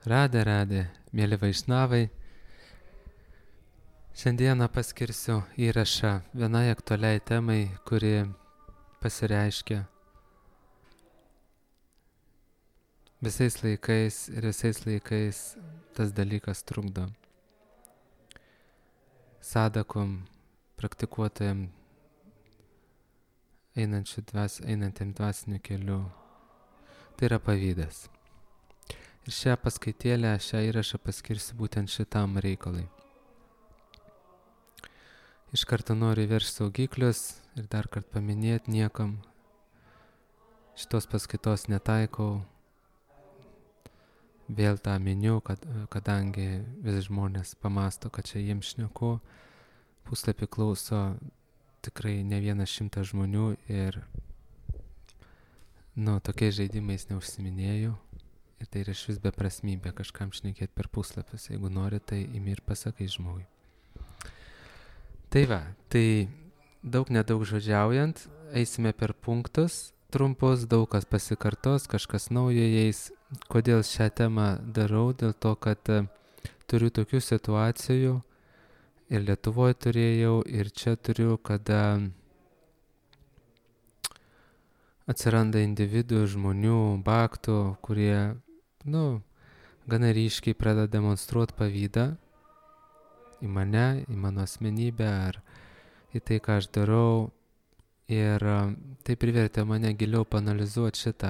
Radė, mėly vaišnavai. Šiandieną paskirsiu įrašą vienai aktualiai temai, kuri pasireiškia visais laikais ir visais laikais tas dalykas trukdo. Sadakom, praktikuotojam, einantiem dvasiniu keliu. Tai yra pavydas. Ir šią paskaitėlę, šią įrašą paskirsiu būtent šitam reikalai. Iš karto noriu įveržti saugiklius ir dar kartą paminėti niekam. Šitos paskaitos netaikau. Vėl tą miniu, kadangi vis žmonės pamasto, kad čia jiems šneku. Puslapį klauso tikrai ne 100 žmonių ir tokiais žaidimais neužsiminėjau. Ir tai yra išvis beprasmybė kažkam šnekėti per puslapius. Jeigu nori, tai imi ir pasakai žmogui. Tai va, tai nedaug žodžiaujant, eisime per punktus trumpus, daug kas pasikartos, kažkas naujo eis. Kodėl šią temą darau? Dėl to, kad turiu tokių situacijų ir Lietuvoje turėjau, ir čia turiu, kada atsiranda individų, žmonių, baktų, kurie, gana ryškiai pradeda demonstruoti pavydą į mane, į mano asmenybę ar į tai, ką aš darau. Ir tai privertė mane giliau paanalizuoti šitą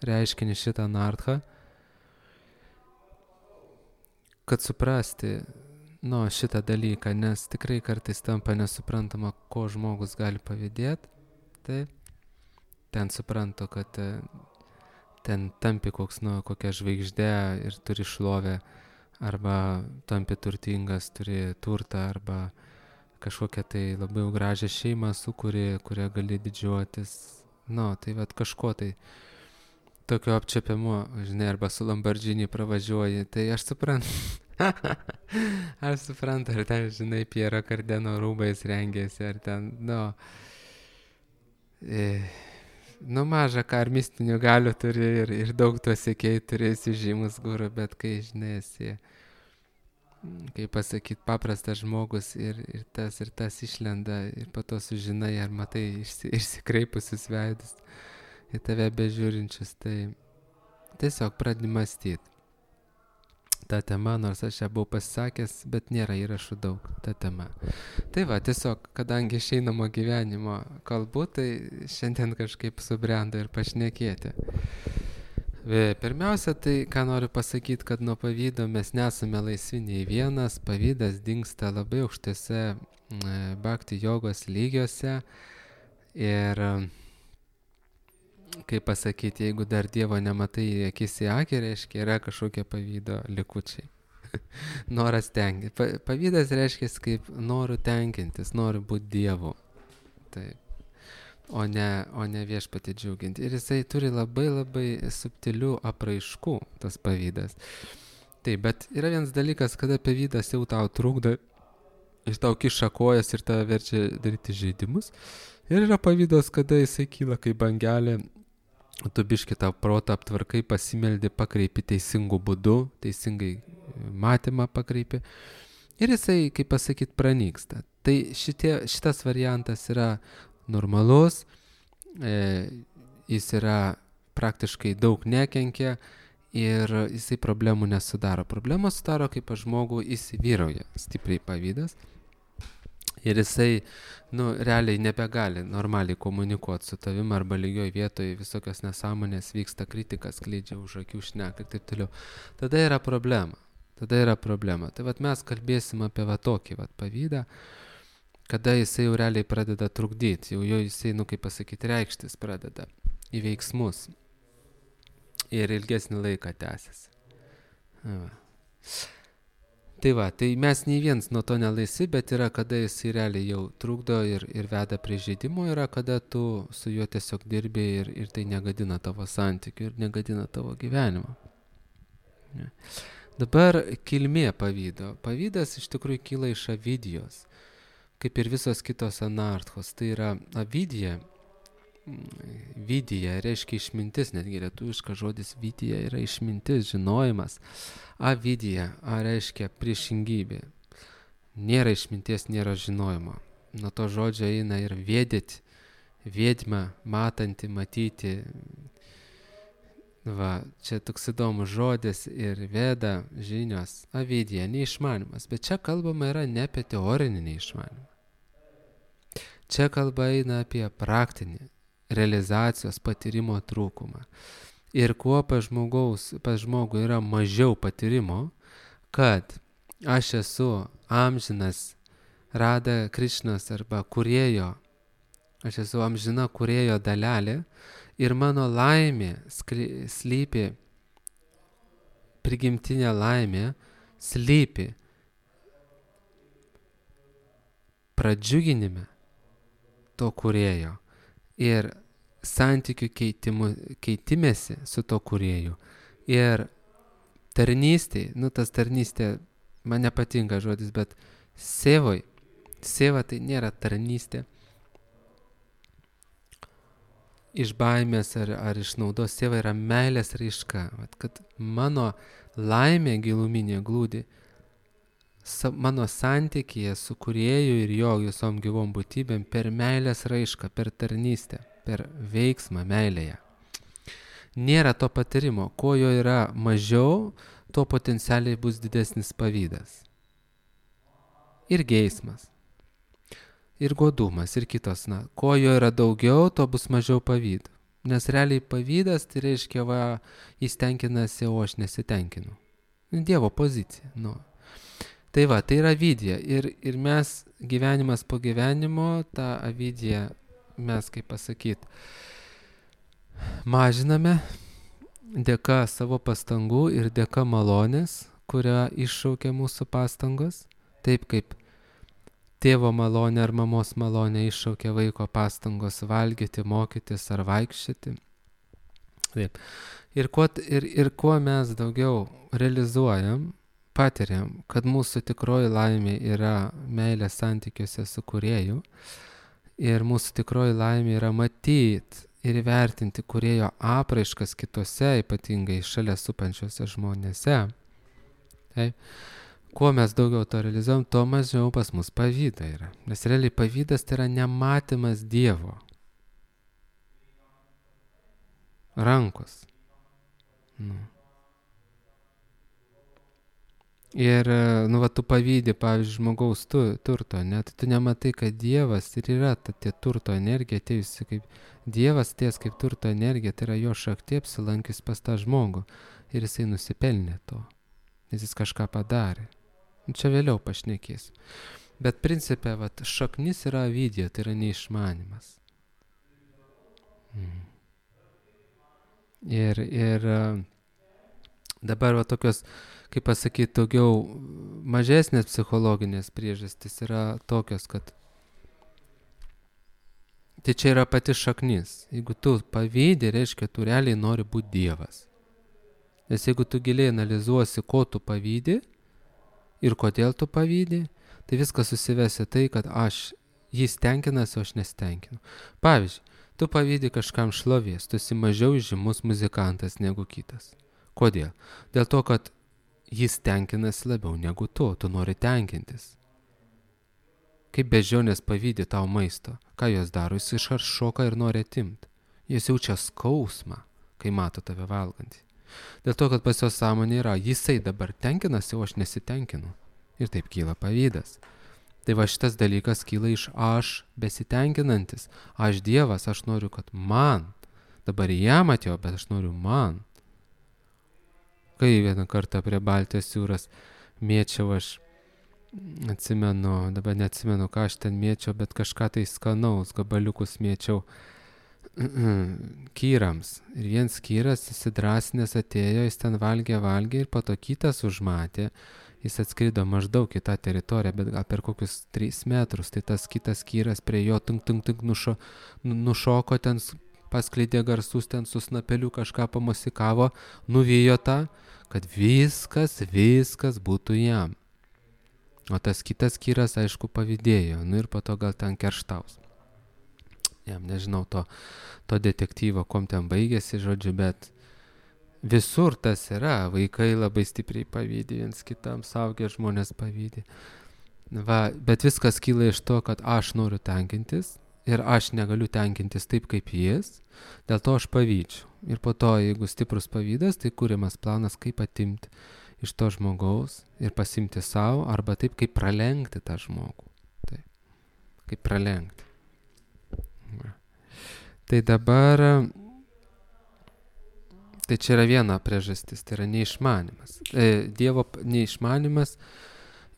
reiškinį, šitą anarchą, kad suprasti šitą dalyką, nes tikrai kartais tampa nesuprantama, ko žmogus gali pavydėti. Taip. Ten suprantu, kad ten tampi kokia žvaigždė ir turi šlovę, arba tampi turtingas, turi turtą, arba kažkokią tai labai gražią šeimą sukuri, kurią gali didžiuotis. Tai vat kažko tai tokio apčiapiamo, žinai, arba su Lamborghini pravažiuoji, tai aš suprantu. Aš suprantu, ar ten, žinai, Piero Cardeno rūbais rengėsi, ar ten, mažą ką ar mistinių galių turi ir daug to sekėjų turėsi žymus guru, bet kai, žinai, esi, kaip pasakyti, paprastas žmogus ir tas išlenda ir po to sužinai, ar matai išsikreipusius veidus į tave bežiūrinčius, tai tiesiog pradedi mąstyti. Ta tema, nors aš ją buvau pasisakęs, bet nėra įrašų daug ta tema. Tai va, tiesiog, kadangi išeinamo gyvenimo kalbu, tai šiandien kažkaip subrendo ir pašnekėti. Pirmiausia, tai ką noriu pasakyti, kad nuo pavydo mes nesame laisvi nei vienas, pavydas dingsta labai aukštose bhakti jogos lygiuose ir kaip pasakyti, jeigu dar Dievo nematai akis į akį, reiškia, yra kažkokie pavydo likučiai. Noras tenkinti. Pavydas reiškia kaip noriu tenkintis, noriu būti Dievu. Taip. O ne viešpatį džiuginti. Ir jisai turi labai labai subtilių apraiškų, tas pavydas. Taip, bet yra vienas dalykas, kada pavydas jau tau trukdo ir tau kiša kojas ir tave verčia daryti žaidimus. Ir yra pavydas, kada jisai kyla kaip bangelė. Tu biški tą protą aptvarkai, pasimeldi, pakreipi teisingų būdų, teisingai matymą pakreipi. Ir jisai, kaip pasakyti, pranyksta. Tai šitas variantas yra normalus, jis yra praktiškai daug nekenkia ir jisai problemų nesudaro. Problemos sudaro, kaip pas žmogų įsivyrauja stipriai pavydas. Ir jisai, realiai nebegali normaliai komunikuoti su tavim arba lygioj vietoje, visokios nesąmonės vyksta, kritikas skleidžia už akių, šneka ir taip toliau. Tada yra problema. Tai vat mes kalbėsim apie tokį pavydą, kada jisai jau realiai pradeda trukdyti, jau jisai, kaip pasakyti, reikštis pradeda į veiksmus ir ilgesnį laiką tęsiasi. Tai mes nei vienas nuo to nelaisvi, bet yra, kada jis realiai jau trukdo ir veda prie žaidimo, yra, kada tu su juo tiesiog dirbi ir tai negadina tavo santykių ir negadina tavo gyvenimo. Dabar kilmė pavydo. Pavydas iš tikrųjų kyla iš avidijos, kaip ir visos kitos anarchos. Tai yra avidija, vidija reiškia išmintis, netgi lietuviškas žodis vidija yra išmintis, žinojimas. Avidija, reiškia priešingybė. Nėra išminties, nėra žinojimo. Nuo to žodžio eina ir vėdėti, vėdma, matanti, matyti. Va, čia toks įdomus žodis ir veda žinios, avidija, neišmanimas. Bet čia kalbama yra ne apie teorinį neišmanimą. Čia kalba eina apie praktinį realizacijos patyrimo trūkumą. Ir kuo pas žmogų yra mažiau patyrimo, kad aš esu amžinas Rada Krišnos arba kūrėjo, aš esu amžina kūrėjo dalelė ir mano laimė slypi, prigimtinė laimė slypi pradžiuginime to kūrėjo ir santykių keitimėsi su to kūrėju ir tarnystė, tas tarnystė, man nepatinka žodis, bet seva tai nėra tarnystė iš baimės ar iš naudos, seva yra meilės raiška, kad mano laimė giluminė glūdi mano santykyje su kūrėju ir jo visom gyvom būtybėm per meilės raišką, per tarnystę, per veiksmą meilėje. Nėra to patyrimo. Kuo jo yra mažiau, to potencialiai bus didesnis pavydas. Ir geismas. Ir godumas, ir kitos. Kuo jo yra daugiau, to bus mažiau pavydų. Nes realiai pavydas, tai reiškia, jis tenkinasi, o aš nesitenkinu. Dievo pozicija. Tai tai yra avidija. Ir mes gyvenimas po gyvenimo, tą avidiją mes, kaip pasakyti, mažiname dėka savo pastangų ir dėka malonės, kurią iššaukia mūsų pastangos. Taip kaip tėvo malonė ar mamos malonė iššaukia vaiko pastangos valgyti, mokytis ar vaikščioti. Taip. Ir kuo mes daugiau realizuojam, patiriam, kad mūsų tikroji laimė yra meilės santykiuose su kūrėju ir mūsų tikroji laimė yra matyti ir įvertinti kūrėjo apraiškas kitose, ypatingai šalia supančiose žmonėse. Taip. Kuo mes daugiau to realizuojam, tuo mažiau pas mus pavyda yra. Nes realiai pavydas tai yra nematymas Dievo rankos. Ir, tu pavydi, pavyzdžiui, žmogaus turto, tai tu nematai, kad Dievas ir yra tie turto energija atėjusi kaip Dievas ties kaip turto energija, tai yra jo šakti apsilankys pas tą žmogų ir jisai nusipelnė to, nes jis kažką padarė. Čia vėliau pašnekės. Bet principe, šaknis yra avidija, tai yra neišmanimas. Ir dabar tokios, kaip pasakyti, daugiau mažesnės psichologinės priežastys yra tokios, kad tai čia yra pati šaknis. Jeigu tu pavydi, reiškia, tu realiai nori būti Dievas. Nes jeigu tu giliai analizuosi, ko tu pavydi ir kodėl tu pavydi, tai viskas susivesi tai, kad jis tenkinasi, o aš nesitenkinu. Pavyzdžiui, tu pavydi kažkam šlovės, tu esi mažiau žymus muzikantas negu kitas. Kodėl? Dėl to, kad jis tenkinasi labiau negu tu nori tenkintis. Kaip beždžionės pavydi tau maisto, ką jos daro, jis iškart šoka ir nori atimti. Jis jaučia skausmą, kai mato tave valgantį. Dėl to, kad pas jo sąmonė yra, jisai dabar tenkinasi, o aš nesitenkinu. Ir taip kyla pavydas. Tai šitas dalykas kyla iš aš besitenkinantis. Aš Dievas, aš noriu, kad man. Dabar jam atėjo, bet aš noriu man. Kai vieną kartą prie Baltijos jūros mėčiau, aš atsimenu, dabar neatsimenu, ką aš ten mėčiau, bet kažką tai skanaus, gabaliukus mėčiau kyrams. Ir vienas kyras įsidrasinęs atėjo, jis ten valgė ir po to kitas užmatė. Jis atskrido maždaug į tą teritoriją, bet gal per kokius 3 metrus. Tai tas kitas kyras prie jo nušoko, ten paskleidė garsus, ten su snapeliu kažką pamosikavo, nuvijo tą, kad viskas būtų jam. O tas kitas kyras, aišku, pavydėjo, ir po to gal ten kerštaus. jam nežinau to detektyvo, kom ten baigėsi, žodžiu, bet visur tas yra, vaikai labai stipriai pavydi, viens kitam suaugę žmonės pavydi. Va, bet viskas kyla iš to, kad aš noriu tenkintis ir aš negaliu tenkintis taip kaip jis, dėl to aš pavydžiu. Ir po to, jeigu stiprus pavydas, tai kūrimas planas, kaip atimti iš to žmogaus ir pasimti savo, arba taip, kaip pralenkti tą žmogų. Taip, kaip pralenkti. Va. Tai dabar, tai čia yra viena priežastis, tai yra neišmanimas. Dievo neišmanimas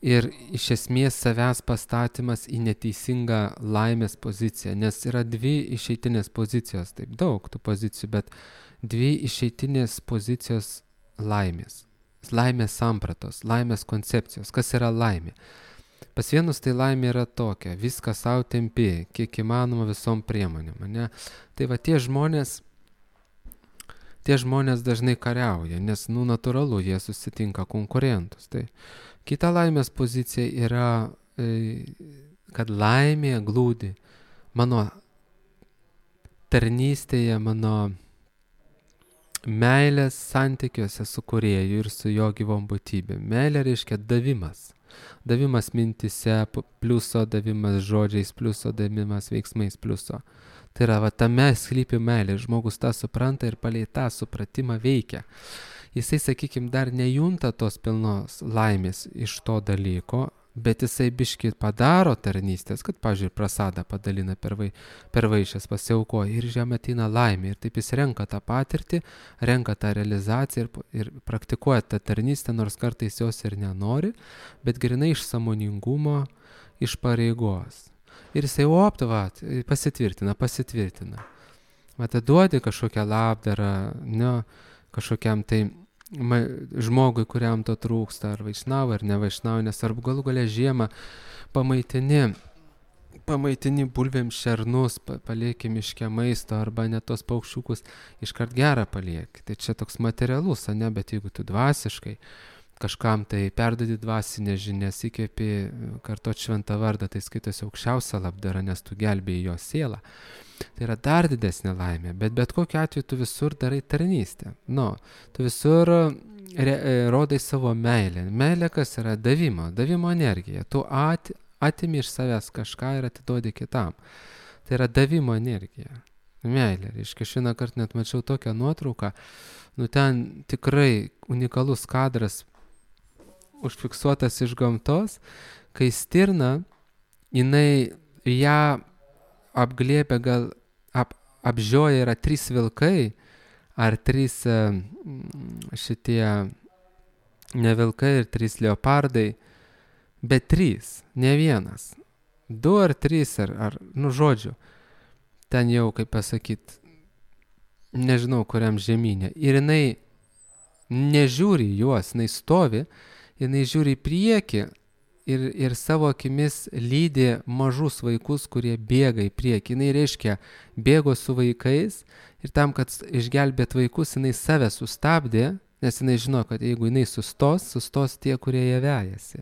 ir iš esmės savęs pastatymas į neteisingą laimės poziciją, nes yra dvi išeitinės pozicijos, taip daug tų pozicijų, bet dvi išeitinės pozicijos laimės. Laimės sampratos, laimės koncepcijos. Kas yra laimė? Pas vienus tai laimė yra tokia, viską savo tempi, kiek įmanoma visom priemonėm, ne? Tai va tie žmonės dažnai kariauja, nes, natūralu, jie susitinka konkurentus. Tai kita laimės pozicija yra, kad laimė glūdi mano tarnystėje, mano meilės santykiuose su kūrėju ir su jo gyvom būtybėm. Meilė reiškia davimas. Davimas mintise pliuso, davimas žodžiais pliuso, davimas veiksmais pliuso. Tai yra, tame slypi meilė. Žmogus tą supranta ir palei tą supratimą veikia. Jisai, sakykime, dar nejunta tos pilnos laimės iš to dalyko, bet jisai biškį padaro tarnystės, kad, pavyzdžiui, prasadą padalina per vaišes, pasiaukoja ir žemė ateina laimė. Ir taip jis renka tą patirtį, renka tą realizaciją ir praktikuoja tą tarnystę, nors kartais jos ir nenori, bet grinai iš sąmoningumo, iš pareigos. Ir jisai pasitvirtina. Duodi kažkokią labdarą, kažkokiam tai žmogui, kuriam to trūksta, ar vaišnavo, ar ne vaišnavo, nes arba galų galia žiemą pamaitini bulvėm šernus, palieki miške maisto, arba net tos paukščiukus iškart gerą palieki. Tai čia toks materialus, ne, bet jeigu tu dvasiškai kažkam tai perdodi dvasinės žinias, įkvėpi kartot šventą vardą, tai skaitosi aukščiausia labdara, nes tu gelbėjai jo sielą. Tai yra dar didesnė laimė, bet kokiu atveju tu visur darai tarnystę. Tu visur rodai savo meilę. Meilė kas yra? Davimo energija. Tu atimi iš savęs kažką ir atiduodi kitam. Tai yra davimo energija. Meilė. Reiškia, šiandien kartą net mačiau tokią nuotrauką, ten tikrai unikalus kadras užfiksuotas iš gamtos, kai stirna, jinai ją apglėbė, gal apžioja yra 3 vilkai, ar 3 šitie ne vilkai ir 3 leopardai, bet 3, ne vienas. 2 ar 3, ar žodžiu, ten jau, kaip pasakyt, nežinau kuriam žemynė. Ir jinai nežiūri juos, jinai stovi, jinai žiūri į priekį ir savo akimis lydi mažus vaikus, kurie bėga į priekį. Jinai reiškia, bėgo su vaikais ir tam, kad išgelbėt vaikus, jinai save sustabdė, nes jinai žino, kad jeigu jinai sustos tie, kurie ją vejasi.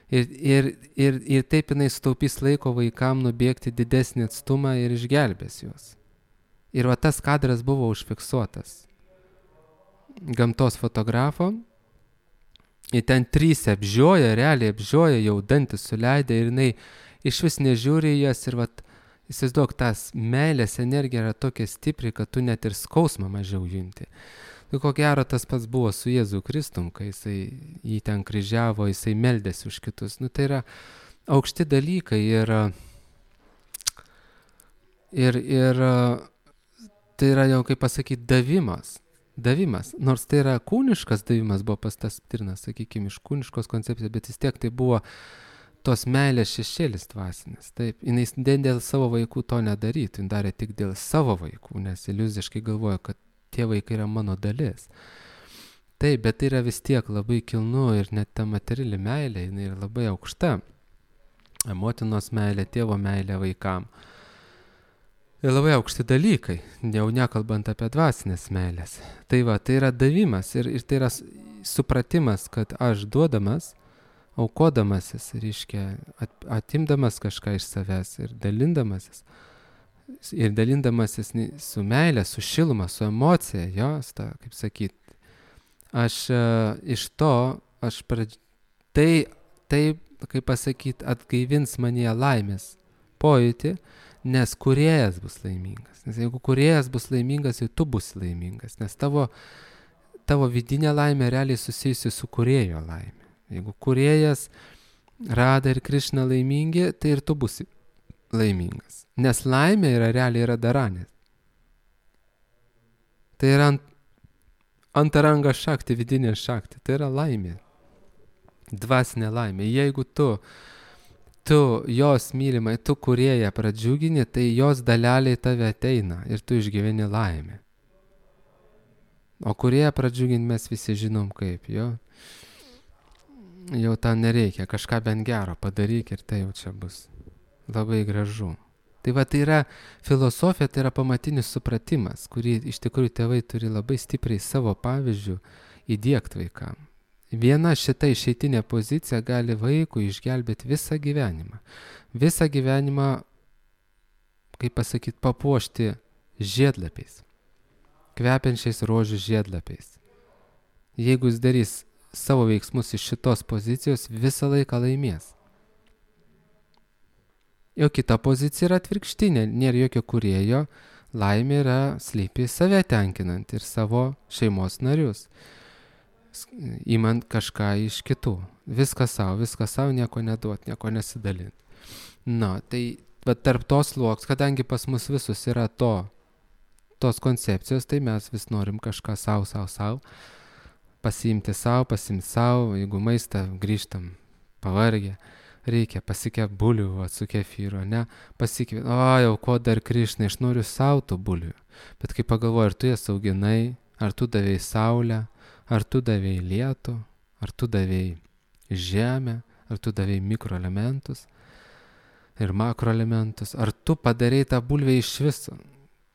Ir taip jinai sutaupys laiko vaikam nubėgti didesnį atstumą ir išgelbės juos. Ir tas kadras buvo užfiksuotas gamtos fotografo. Ir ten 3 apžioja, realiai apžioja, jau dantis suleidę ir jinai iš vis nežiūri jas ir įsivaizduok, tas meilės energija yra tokia stipri, kad tu net ir skausmą mažiau junti. Tai ko gero tas pats buvo su Jėzu Kristum, kai jisai jį ten kryžiavo, jisai meldėsi už kitus. Tai yra aukšti dalykai ir tai yra jau, kaip pasakyti, davimas. Nors tai yra kūniškas davimas, buvo pas tas stirnas, sakykime, iš kūniškos koncepcijos, bet vis tiek tai buvo tos meilės šešėlis dvasinis. Taip, jinai dėl savo vaikų to nedarytų, jin darė tik dėl savo vaikų, nes iliuziškai galvoja, kad tie vaikai yra mano dalis. Taip, bet tai yra vis tiek labai kilnu ir net ta materiali meilė, jinai yra labai aukšta. Motinos meilė, tėvo meilė vaikam. Ir labai aukšti dalykai, jau nekalbant apie dvasinės meilės. Tai yra davimas ir tai yra supratimas, kad aš duodamas, aukodamasis, reiškia, atimdamas kažką iš savęs ir dalindamasis su meilė, su šiluma, su emocija, jos, kaip sakyt, aš iš to, tai, kaip pasakyt, atgaivins manyje laimės pojūtį, nes kūrėjas bus laimingas. Nes jeigu kūrėjas bus laimingas, tai tu bus laimingas, nes tavo vidinė laimė realiai susijusi su kūrėjo laimė. Jeigu kūrėjas Rada ir Krišna laimingi, tai ir tu būsi laimingas. Nes laimė realiai yra daranės. Tai yra antaranga šakti, vidinė šakti. Tai yra laimė. Dvasinė laimė. Jeigu tu jos mylimai, tu kūrėją pradžiugini, tai jos daleliai tave ateina ir tu išgyveni laimę. O kūrėją pradžiuginti mes visi žinom kaip, jo. Jau tą nereikia, kažką bent gero padaryk ir tai jau čia bus labai gražu. Tai va, tai yra filosofija, tai yra pamatinis supratimas, kurį iš tikrųjų tėvai turi labai stipriai savo pavyzdžių įdiegt vaikam. Viena šita išeitinė pozicija gali vaikui išgelbėti visą gyvenimą. Visą gyvenimą, kaip pasakyt, papuošti žiedlapiais, kvepiančiais rožių žiedlapiais. Jeigu jis darys savo veiksmus iš šitos pozicijos, visą laiką laimės. Jo kita pozicija yra atvirkštinė, nėra jokio kūrėjo, laimė yra slypi save tenkinant ir savo šeimos narius, imant kažką iš kitų. Viskas savo, nieko neduot, nieko nesidalint. Na, tai tarp tos sluoks, kadangi pas mus visus yra tos koncepcijos, tai mes vis norim kažką savo, pasiimti savo, jeigu maistą grįžtam pavargę, reikia pasikep bulių su kefyru, ne, pasikep, jau ko dar Krišna, aš noriu savo tų bulių. Bet kai pagalvoju, ar tu jas auginai, ar tu davėjai saulę, ar tu davėjai lietų, ar tu davėjai žemę, ar tu davėjai mikroelementus ir makroelementus, ar tu padarei tą bulvę iš viso.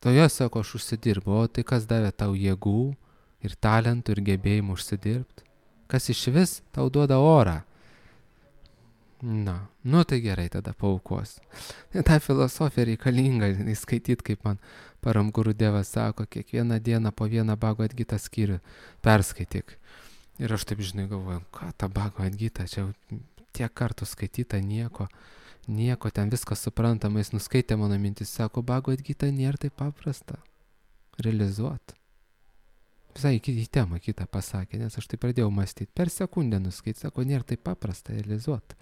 Toje sako, aš užsidirbu, o tai kas davė tau jėgų ir talentų ir gebėjimų užsidirbti? Kas iš vis tau duoda orą? Na, tai gerai, tada paaukos. Ta filosofija reikalinga, skaityti, kaip man Param Guru Devas sako, kiekvieną dieną po vieną Bhagavad Gita skyrių perskaityk. Ir aš taip, žinai, galvoju, ką ta Bhagavad Gita, čia tiek kartų skaityta, nieko, ten viskas suprantama, jis nuskaitė mano mintis, sako, Bhagavad Gita nėra taip paprasta realizuoti. Visai į temą kitą pasakė, nes aš tai pradėjau mąstyti, per sekundę nuskaityti, sako, nėra taip paprasta realizuoti.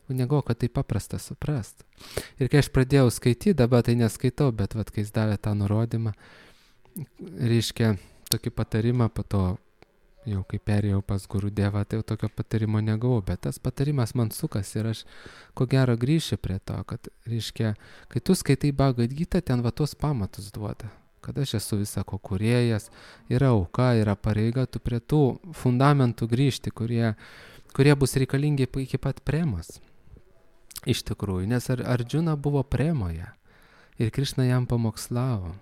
Negalvoju, kad tai paprasta suprast. Ir kai aš pradėjau skaityti, dabar tai neskaitau, bet kai jis davė tą nurodymą, reiškia tokį patarimą, po to jau kai perėjau pas Guru Devą, tai jau tokio patarimo negavau, bet tas patarimas man sukas ir aš ko gero grįšiu prie to, kad, reiškia, kai tu skaitai Bhagavad Gita, ten tuos pamatus duoda, kad aš esu visako kūrėjas, yra auka, yra pareiga, tu prie tų fundamentų grįžti, kurie bus reikalingi iki pat premos. Iš tikrųjų, nes Arjuna buvo premoje ir Krišna jam pamokslavo.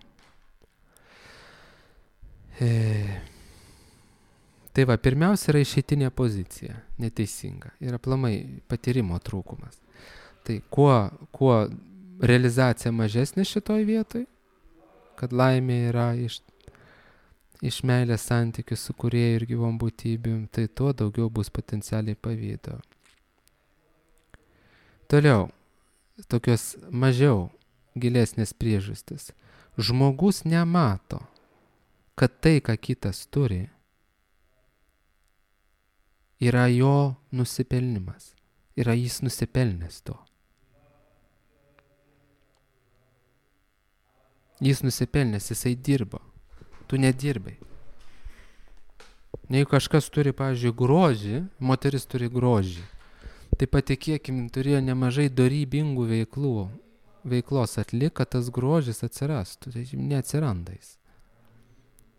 Tai va, pirmiausia yra išeitinė pozicija, neteisinga, ir aplamai patyrimo trūkumas. Tai kuo realizacija mažesnė šitoj vietoj, kad laimė yra iš meilės santykių su kūrėju ir gyvom būtybėm, tai tuo daugiau bus potencialiai pavydo. Toliau, tokios mažiau gilesnės priežastis. Žmogus nemato, kad tai, ką kitas turi, yra jo nusipelnimas. Yra jis nusipelnęs to. Jis nusipelnęs, jisai dirbo. Tu nedirbai. Jeigu kažkas turi, pavyzdžiui, grožį, moteris turi grožį, tai patikėkim, turėjo nemažai dorybingų veiklos atlik, kad tas grožis atsirastų, tai neatsiranda jis.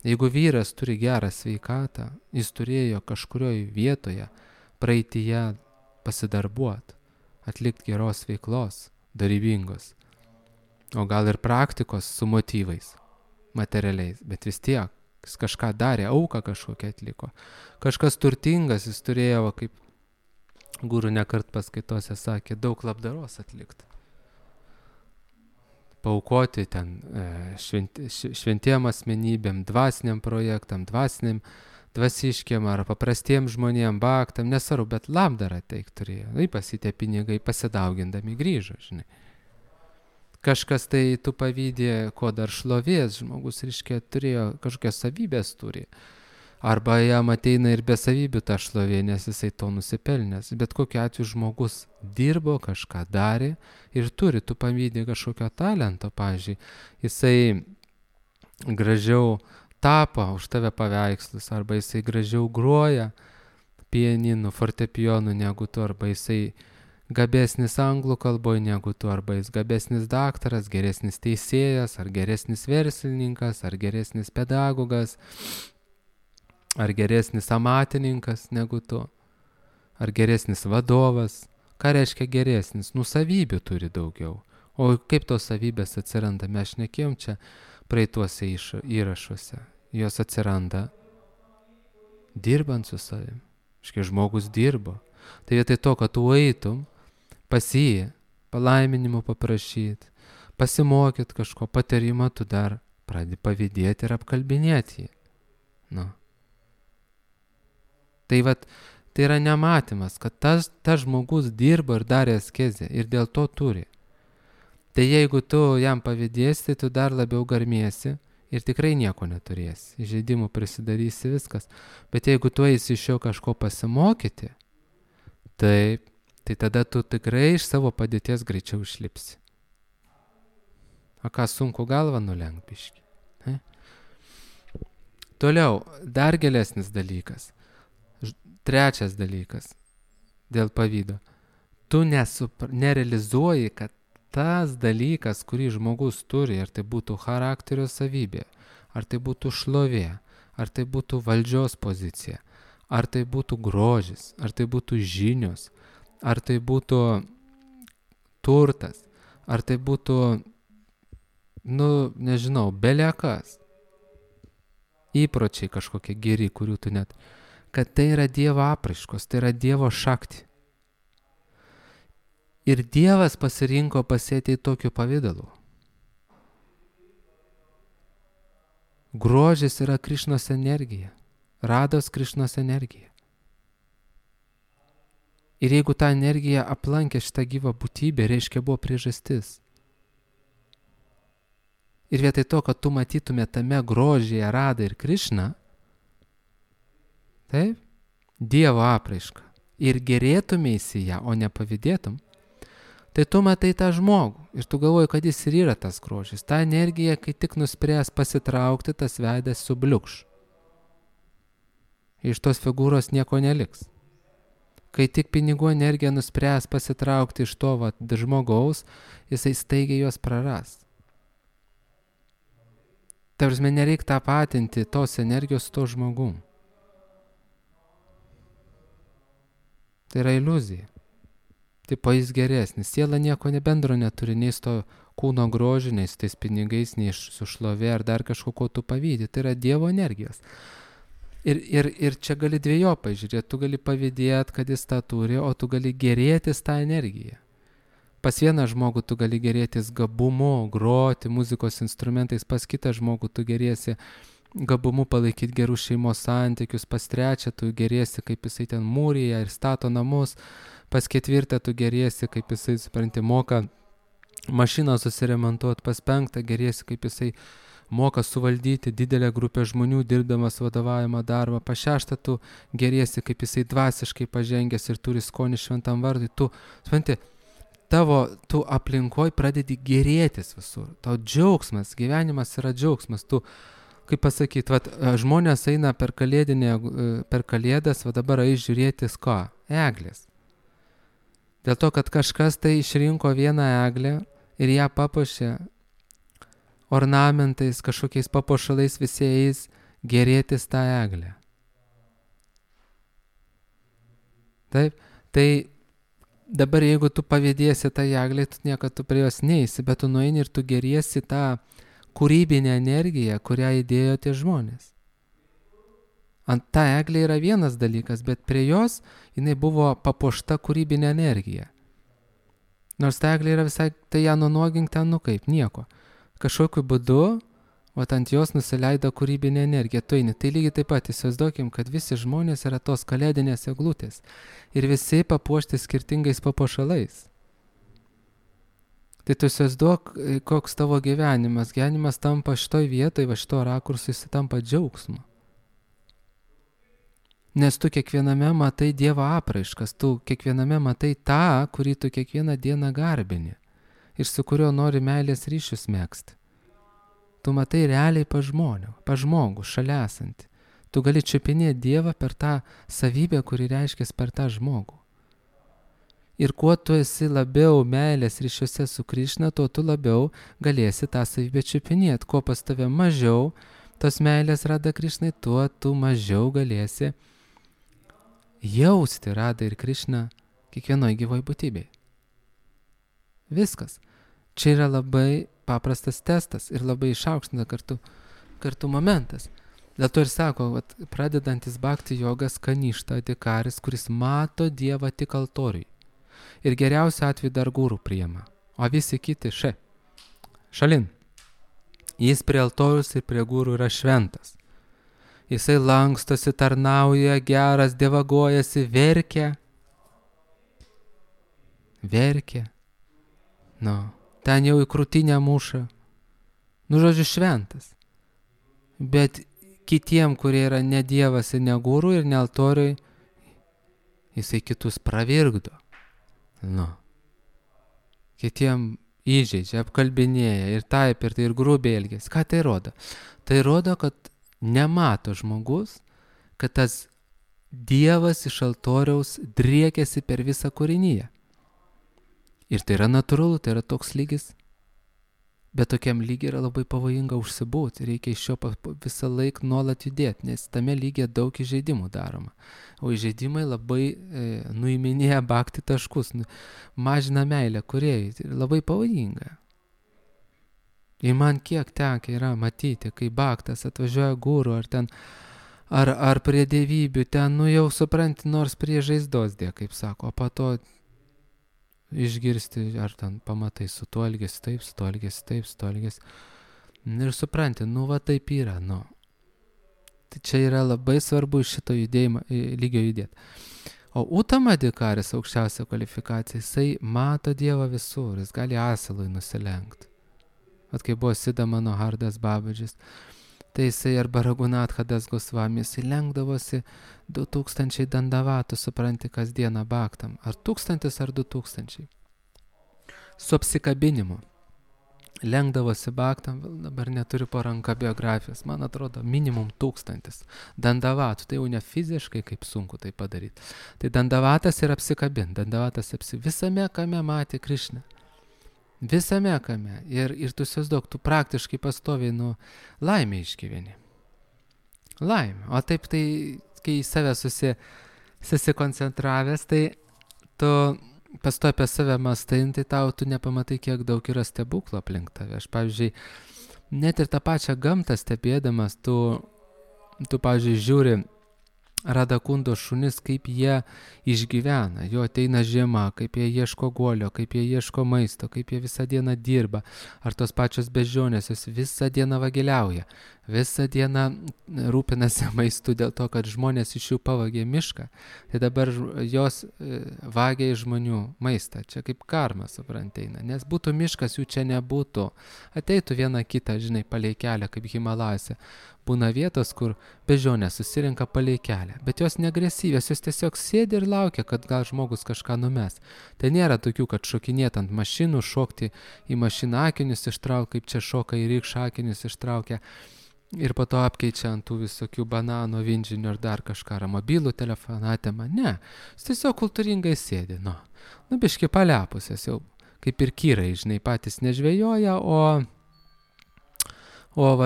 Jeigu vyras turi gerą sveikatą, jis turėjo kažkurioje vietoje praeityje pasidarbuoti, atlikti geros veiklos, dorybingos, o gal ir praktikos su motyvais, materialiais, bet vis tiek, jis kažką darė, auką kažkokią atliko. Kažkas turtingas, jis turėjo kaip Guru nekart paskaitose sakė, daug labdaros atlikti. Paaukoti ten šventiem asmenybėm, dvasiniam projektam, dvasiškiam ar paprastiem žmonėm, baktam, nesvarbu, bet labdarą teik turėjo. Ypač tie pinigai pasidaugindami grįžo, žinai. Kažkas tai tu pavydė, ko dar šlovės žmogus, reiškia, turėjo kažkokias savybės turi. Arba jam ateina ir be savybių ta šlovė, nes jisai to nusipelnęs. Bet kokiu atveju žmogus dirbo, kažką darė ir turi, tu pavydė kažkokio talento, pavyzdžiui. Jisai gražiau tapo už tave paveikslus, arba jisai gražiau groja pianinu, fortepijonu negu tu, arba jisai gabesnis anglų kalboje negu tu, arba jis gabesnis daktaras, geresnis teisėjas, ar geresnis verslininkas, ar geresnis pedagogas, ar geresnis amatininkas negu tu, ar geresnis vadovas. Ką reiškia geresnis? Savybių turi daugiau. O kaip tos savybės atsiranda? Mes šnekėjom čia praeituose įrašuose. Jos atsiranda dirbant su savim. Iškai žmogus dirbo. Tai vietoj to, kad tu eitum pas jį, palaiminimo paprašyti, pasimokyt kažko patarimo, tu dar pradedi pavydėti ir apkalbinėti jį. Tai tai yra nematymas, kad tas žmogus dirbo ir darė askezę ir dėl to turi. Tai jeigu tu jam pavydėsi, tu dar labiau garmiesi ir tikrai nieko neturėsi. Įžeidimų prisidarysi viskas. Bet jeigu tu eisi iš jo kažko pasimokyti, taip, tai tada tu tikrai iš savo padėties greičiau išlipsi. O ką sunku galvą nulenkt biškį. Toliau, dar gilesnis dalykas. Trečias dalykas dėl pavydo. Tu nerealizuoji, kad tas dalykas, kurį žmogus turi, ar tai būtų charakterio savybė, ar tai būtų šlovė, ar tai būtų valdžios pozicija, ar tai būtų grožis, ar tai būtų žinios, ar tai būtų turtas, ar tai būtų, nežinau, belekas, įpročiai kažkokie geri, kurių tu net, kad tai yra Dievo apraiškos, tai yra Dievo šakti. Ir Dievas pasirinko pasėti tokiu pavidalu. Grožis yra Krišnos energija, Rados Krišnos energija. Ir jeigu ta energija aplankė šitą gyvą būtybę, reiškia buvo priežastis. Ir vietoj to, kad tu matytume tame grožyje Radą ir Krišną, taip, Dievo apraišką, ir gerėtumėsi ją, o ne pavydėtum, tai tu matai tą žmogų ir tu galvoji, kad jis ir yra tas grožis. Ta energija, kai tik nuspręs pasitraukti, tas veidas subliukš. Iš tos figūros nieko neliks. Kai tik pinigų energija nuspręs pasitraukti iš to žmogaus, jisai staigiai juos praras. Ta prasme, nereik tapatinti tos energijos su to žmogum. Tai yra iliuzija. Tipo jis geresnis. Siela nieko bendro neturi, nei su to kūno grožiu, nei su tais pinigais, nei su šlovė ar dar kažko, ko tu pavydi. Tai yra Dievo energijos. Ir čia gali dviejopai žiūrėti. Tu gali pavydėti, kad jis tą turi, o tu gali gerėtis tą energiją. Pas vieną žmogų tu gali gerėtis gabumu, groti muzikos instrumentais, pas kitą žmogų tu gerėsi gabumu palaikyti gerus šeimos santykius, pas trečią tu gerėsi, kaip jisai ten mūryje ir stato namus, pas ketvirtą tu gerėsi, kaip jisai, supranti, moka mašiną susiremontuoti, pas penktą gerėsi, kaip jisai moka suvaldyti didelę grupę žmonių, dirbdamas vadovavimo darbą, pas šeštą tu gerėsi, kaip jisai dvasiškai pažengęs ir turi skonį šventam vardui, tu, supranti, tu aplinkoj pradedi gerėtis visur, tau džiaugsmas, gyvenimas yra džiaugsmas, tu, kaip pasakyti, žmonės eina per kalėdas, dabar eis žiūrėtis ko? Eglės. Dėl to, kad kažkas tai išrinko vieną eglę ir ją papuošė ornamentais, kažkokiais papuošalais, visi eis gerėtis tą eglę. Taip, tai dabar jeigu tu pavydėsi tą eglę, tu niekad tu prie jos neisi, bet tu nueini ir tu geriesi tą kūrybinę energiją, kurią įdėjo tie žmonės. Ant ta eglė yra vienas dalykas, bet prie jos jinai buvo papuošta kūrybinė energija. Nors ta eglė yra visai, tai ją nunuogink ten, kaip, nieko. Kažkokiu būdu, ant jos nusileido kūrybinė energija. Tai lygiai taip pat įsivaizduokim, kad visi žmonės yra tos kalėdinės eglutės. Ir visi papuošti skirtingais papuošalais. Tai tu įsivaizduok, koks tavo gyvenimas. Gyvenimas tampa šitoj vietoj, šito rakursui jis tampa džiaugsmu. Nes tu kiekviename matai Dievo apraiškas, tu kiekviename matai tą, kurį tu kiekvieną dieną garbini ir su kuriuo nori meilės ryšius megzti. Tu matai realiai pa žmogų, šalia esantį. Tu gali čiupinėti Dievą per tą savybę, kuri reiškiasi per tą žmogų. Ir kuo tu esi labiau meilės ryšiuose su Krišna, tuo tu labiau galėsi tą savybę čiupinėti. Kuo pas tave mažiau tos meilės Rada Krišnai, tuo tu mažiau galėsi jausti Radą ir Krišną kiekvienoje gyvoje būtybėje. Viskas. Čia yra labai paprastas testas ir labai išaukština kartu momentas. Dėl to ir sako, pradedantis bhakti jogas kaništa adikaris, kuris mato Dievą tik altoriui. Ir geriausiu atveju dar gurų priima. O visi kiti šalin. Jis prie altorius ir prie gurų yra šventas. Jisai lankstosi, tarnauja, geras, dievagojasi, verkia. Ten jau į krūtinę muša. Žodžiu, šventas. Bet kitiem, kurie yra ne dievas ir ne gurų ir ne altoriui, jisai kitus pravirgdo. Kitiem įžeidžia, apkalbinėja ir taip ir grubiai elgiasi. Ką tai rodo? Tai rodo, kad nemato žmogus, kad tas Dievas iš altoriaus driekiasi per visą kūrinyje. Ir tai yra natūralu, tai yra toks lygis. Bet tokiam lygiai yra labai pavojinga užsibūti. Reikia iš jo visą laiką nuolat judėti, nes tame lygiai daug įžeidimų daroma. O įžeidimai labai nuiminėja bhakti taškus, mažina meilę kūrėjui. Tai labai pavojinga. Ir man kiek tekę yra matyti, kai bhaktas atvažiuoja guru ar ten, ar prie dievybių, ten, jau supranti, nors prie žaizdos dė, kaip sako, o po to išgirsti, ar ten pamatai, su tuo elgesi taip, su tuo elgesi taip, su tuo elgesi. Ir supranti, taip yra, Tai čia yra labai svarbu iš šito lygio judėti. O Uttama adhikaris, aukščiausia kvalifikacija, jisai mato Dievą visur, jis gali asilui nusilenkti. Kai buvo Sidamano Hardas Babadžis, tai jisai arba Raghunatha Das Gosvami, jisai lenkdavosi 2000 dandavatų, supranti, kasdieną bhaktam. Ar 1000 ar 2000. Su apsikabinimu. Lenkdavosi bhaktam, dabar neturiu po ranka biografijos, man atrodo, minimum 1000 dandavatų. Tai jau ne fiziškai, kaip sunku tai padaryti. Tai dandavatas ir apsikabinti. Visame kame matė Krišną. Visame kame. Ir tu įsivaizduok, tu praktiškai pastoviai laimę išgyveni. Laimę. O taip tai, kai į save susikoncentravęs, tai tu pastovi apie save mastai, tai tu nepamatai, kiek daug yra stebuklų aplink tave. Aš, pavyzdžiui, net ir tą pačią gamtą stebėdamas, tu pavyzdžiui, žiūri Radakundo šunis, kaip jie išgyvena, jo ateina žiema, kaip jie ieško guolio, kaip jie ieško maisto, kaip jie visą dieną dirba, ar tos pačios beždžionės, jos visą dieną vagiliauja, visą dieną rūpinasi maistu dėl to, kad žmonės iš jų pavagė mišką, tai dabar jos vagia iš žmonių maistą, čia kaip karma, supranteina, nes būtų miškas, jų čia nebūtų, ateitų viena kita, žinai, palei kelią, kaip Himalajose. Būna vietos, kur beždžionės susirenka palei kelią, bet jos neagresyvios, jos tiesiog sėdi ir laukia, kad gal žmogus kažką numes. Tai nėra tokių, kad šokinėt ant mašinų, šokti į mašiną akinius ištraukia, kaip čia šoka į rykšą akinius ištraukia ir po to apkeičia ant tų visokių bananų, vinžinių ar dar kažką, ar mobilų telefoną atema. Ne, jis tiesiog kultūringai sėdi, biški palepusias jau, kaip ir kyrai, žinai, patys nežvejoja, o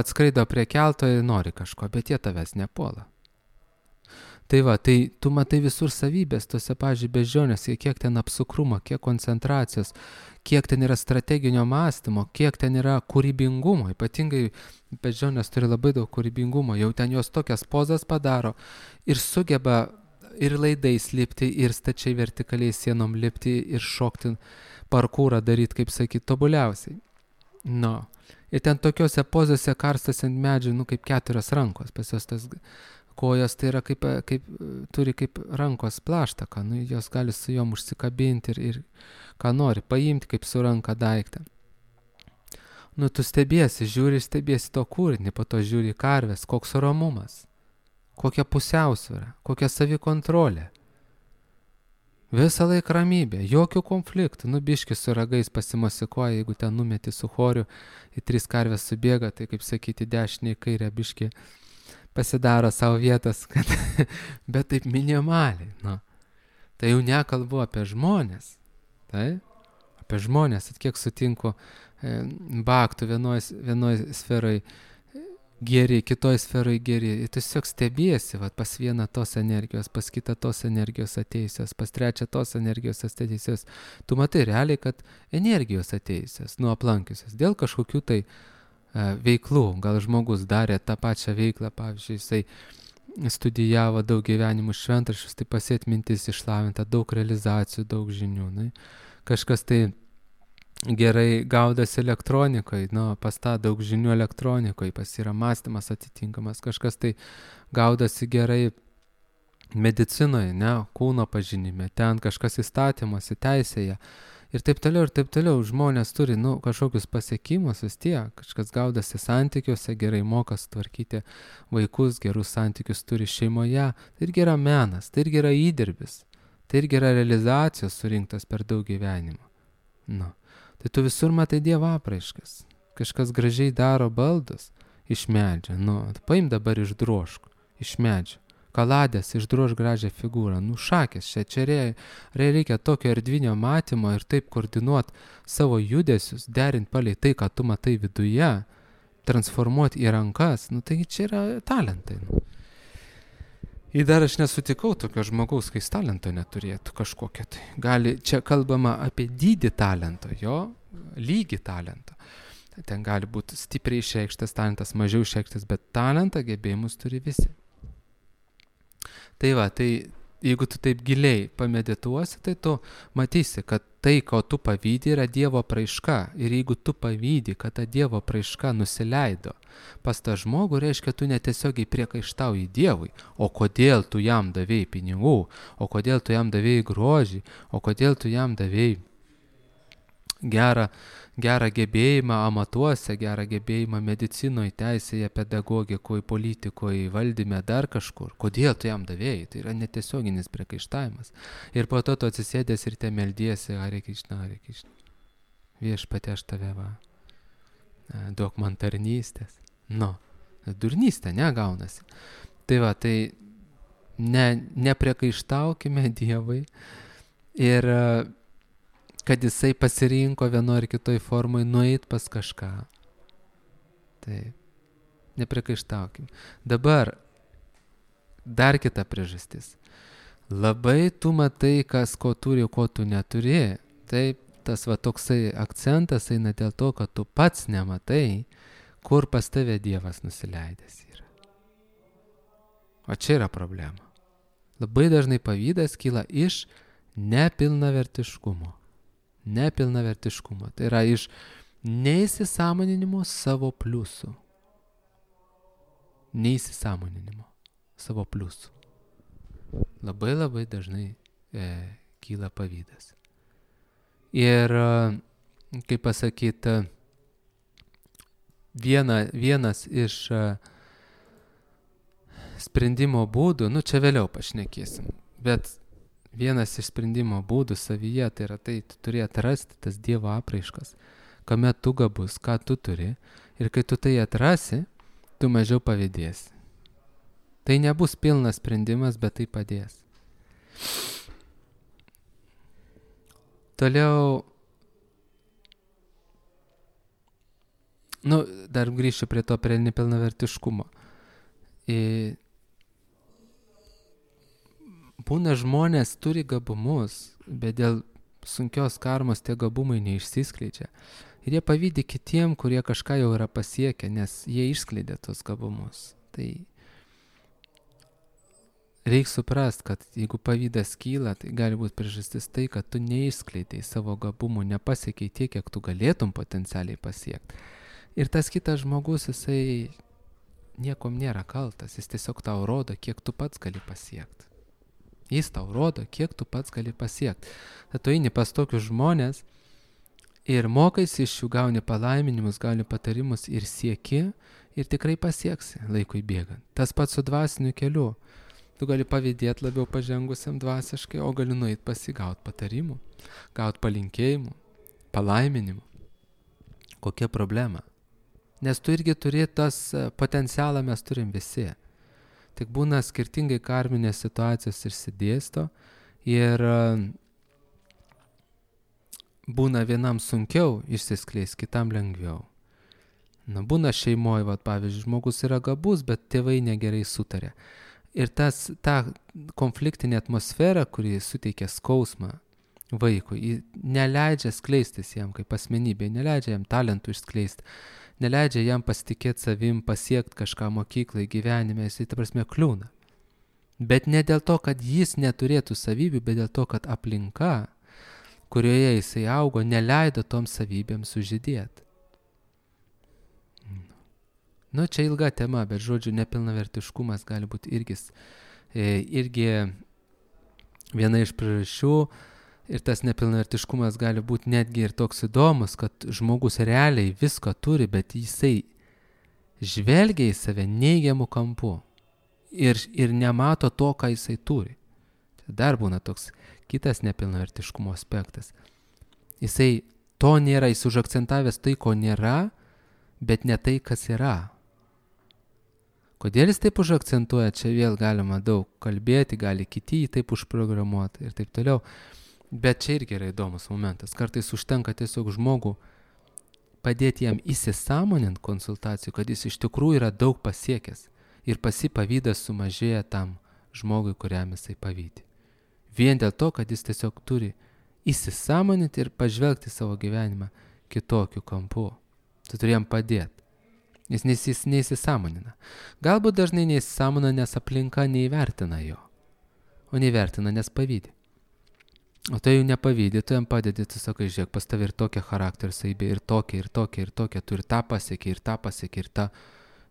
skraido prie kelto ir nori kažko, bet jie tavęs nepuola. Tai va, tai tu matai visur savybės, tose, pavyzdžiui, beždžionėse, kiek ten apsukrumo, kiek koncentracijos, kiek ten yra strateginio mąstymo, kiek ten yra kūrybingumo. Ypatingai beždžionės turi labai daug kūrybingumo, jau ten jos tokias pozas padaro ir sugeba ir laidais lipti, ir stačiai vertikaliai sienom lipti, ir šokti parkūrą daryti, kaip sakyti, tobuliausiai. No. Ir ten tokiuose pozose karstas ant medžių, kaip 4 rankos, pas jos tas kojos tai yra turi kaip rankos plaštaką, jos gali su jom užsikabinti ir ką nori, paimti kaip su ranka daiktą. Tu stebiesi, žiūri, stebiesi to kūrinį, po to žiūri karvės, koks ramumas, kokia pusiausvėra, kokia savikontrolė. Visą laiką ramybė, jokių konfliktų, biški su ragais pasimosikuoja, jeigu ten numeti su choriu, į 3 karvės subėga, tai kaip sakyti, dešinė į kairę biški pasidaro savo vietas, bet taip minimaliai. Tai jau nekalbu apie žmonės, tai? Apie žmonės, kiek sutinku baktų vienoj sferai geri, kitoj sferai geri. Ir tiesiog stebiesi, pas vieną tos energijos, pas kitą tos energijos ateisios, pas trečią tos energijos ateisios. Tu matai realiai, kad energijos ateisios, aplankiusios, dėl kažkokių tai veiklų. Gal žmogus darė tą pačią veiklą, pavyzdžiui, jisai studijavo daug gyvenimų šventraščius, tai pasėt mintis išlavinta, daug realizacijų, daug žinių. Kažkas tai gerai gaudosi elektronikoje, pas tą daug žinių elektronikoje, pas yra mąstymas atitinkamas, kažkas tai gaudosi gerai medicinoje, kūno pažinime, ten kažkas įstatymuose, teisėje ir taip toliau, žmonės turi, kažkokius pasiekimus vis tiek, kažkas gaudosi santykiuose, gerai moka sutvarkyti vaikus, gerus santykius turi šeimoje, tai irgi yra menas, tai irgi yra įdirbis, tai irgi yra realizacijos surinktas per daug gyvenimo. Tai tu visur matai Dievo apraiškas. Kažkas gražiai daro baldus iš medžio. Paim dabar išdrožk iš medžio. Kaladės išdrož gražią figūrą. Šakės čia reikia tokio erdvinio matymo ir taip koordinuoti savo judesius, derinti palei tai, ką tu matai viduje, transformuoti į rankas. Taigi čia yra talentai. Ir dar aš nesutikau tokio žmogaus, kai jis talento neturėtų kažkokią tai. Čia kalbama apie dydį talento, jo lygį talento. Ten gali būti stipriai išreikštas talentas, mažiau išreikštas, bet talentą, gebėjimus turi visi. Tai jeigu tu taip giliai pamedituosi, tai tu matysi, kad tai, ko tu pavydi, yra Dievo apraiška. Ir jeigu tu pavydi, kad ta Dievo apraiška nusileido pas tą žmogų, reiškia, tu netiesiogiai priekaištauji Dievui. O kodėl tu jam davėjai pinigų, o kodėl tu jam davėjai grožį, o kodėl tu jam davėjai gerą gebėjimą amatuose, gerą gebėjimą medicinoje, teisėje, pedagogikoje, politikoje, valdyme, dar kažkur. Kodėl tu jam davėjai? Tai yra netiesioginis priekaištavimas. Ir po to tu atsisėdęs ir te meldiesi, Hare Krishna, Hare Krishna. Viešpatie, aš tave duok man tarnystės. Durnystė, gaunasi. Tai nepriekaištaukime Dievui ir kad jisai pasirinko vienoje ar kitoje formoje nueit pas kažką. Nepriekaištaukim. Dabar dar kita priežastis. Labai tu matai, kas ko turi, ko tu neturi. Taip, tas toksai akcentas eina dėl to, kad tu pats nematai, kur pas tave Dievas nusileidęs yra. O čia yra problema. Labai dažnai pavydas kyla iš nepilnavertiškumo. Tai yra iš neįsisąmoninimo savo pliusų. Labai dažnai kyla pavydas. Ir, kaip pasakyti, vienas iš sprendimo būdų, čia vėliau pašnekėsim, bet vienas iš sprendimo būdų savyje, tai yra tai, tu turi atrasti tas Dievo apraiškas, kame tu gabus, ką tu turi, ir kai tu tai atrasi, tu mažiau pavydėsi. Tai nebus pilnas sprendimas, bet tai padės. Toliau, dar grįšiu prie nepilnavertiškumo. būna žmonės turi gabumus, bet dėl sunkios karmos tie gabumai neišsiskleidžia. Ir jie pavydi kitiem, kurie kažką jau yra pasiekę, nes jie išskleidė tos gabumus. Tai reikia suprast, kad jeigu pavydas kyla, tai gali būti priežastis tai, kad tu neišskleidai savo gabumų, nepasiekiai tiek, kiek tu galėtum potencialiai pasiekti. Ir tas kitas žmogus, jisai niekom nėra kaltas, jis tiesiog tau rodo, kiek tu pats gali pasiekti. Jis tau rodo, kiek tu pats gali pasiekti. Tad tu eini pas tokius žmonės ir mokaisi iš jų, gauni palaiminimus, gauni patarimus ir sieki ir tikrai pasieksi laikui bėgant. Tas pats su dvasiniu keliu. Tu gali pavydėti labiau pažengusiam dvasiškai, o gali nueit pasigauti patarimų, gauti palinkėjimų, palaiminimų. Kokia problema? Nes tu irgi turi tas potencialą, mes turim visi. Tik būna skirtingai karminės situacijos išsidėsto ir būna vienam sunkiau išsiskleis, kitam lengviau. Būna šeimoje, pavyzdžiui, žmogus yra gabus, bet tėvai negerai sutarė. Ir ta konfliktinė atmosfera, kuri suteikia skausmą vaikui, neleidžia skleistis jam kaip asmenybė, neleidžia jam talentų išskleisti, neleidžia jam pasitikėti savim, pasiekti kažką mokyklai, gyvenime, jisai ta prasme kliūna. Bet ne dėl to, kad jis neturėtų savybių, bet dėl to, kad aplinka, kurioje jisai augo, neleido toms savybėms sužydėti. Čia ilga tema, bet žodžiu, nepilnavertiškumas gali būti irgi viena iš priežasčių ir tas nepilnavertiškumas gali būti netgi ir toks įdomus, kad žmogus realiai visko turi, bet jisai žvelgia į save neigiamų kampų ir nemato to, ką jisai turi. Dar būna toks kitas nepilnavertiškumo aspektas. Jisai to nėra, jis užakcentavęs tai, ko nėra, bet ne tai, kas yra. Kodėl jis taip užakcentuoja, čia vėl galima daug kalbėti, gali kiti jį taip užprogramuoti ir taip toliau. Bet čia irgi yra įdomus momentas. Kartais užtenka tiesiog žmogų padėti jam įsisąmonint konsultacijų, kad jis iš tikrųjų yra daug pasiekęs ir pavydas sumažėja tam žmogui, kuriam jisai pavydi. Vien dėl to, kad jis tiesiog turi įsisąmoninti ir pažvelgti savo gyvenimą kitokiu kampu. Tu turi jam padėti. Jis neįsisąmonina. Galbūt dažnai neįsisąmonina, nes aplinka neįvertina jo. O neįvertina, nes pavydi. O tu jau nepavydi, tu jam padedi, tu sakai, žiūrėk, pas tavai ir tokia charakterio savybė, ir tokia, tu ir tą pasiekė, ir tą.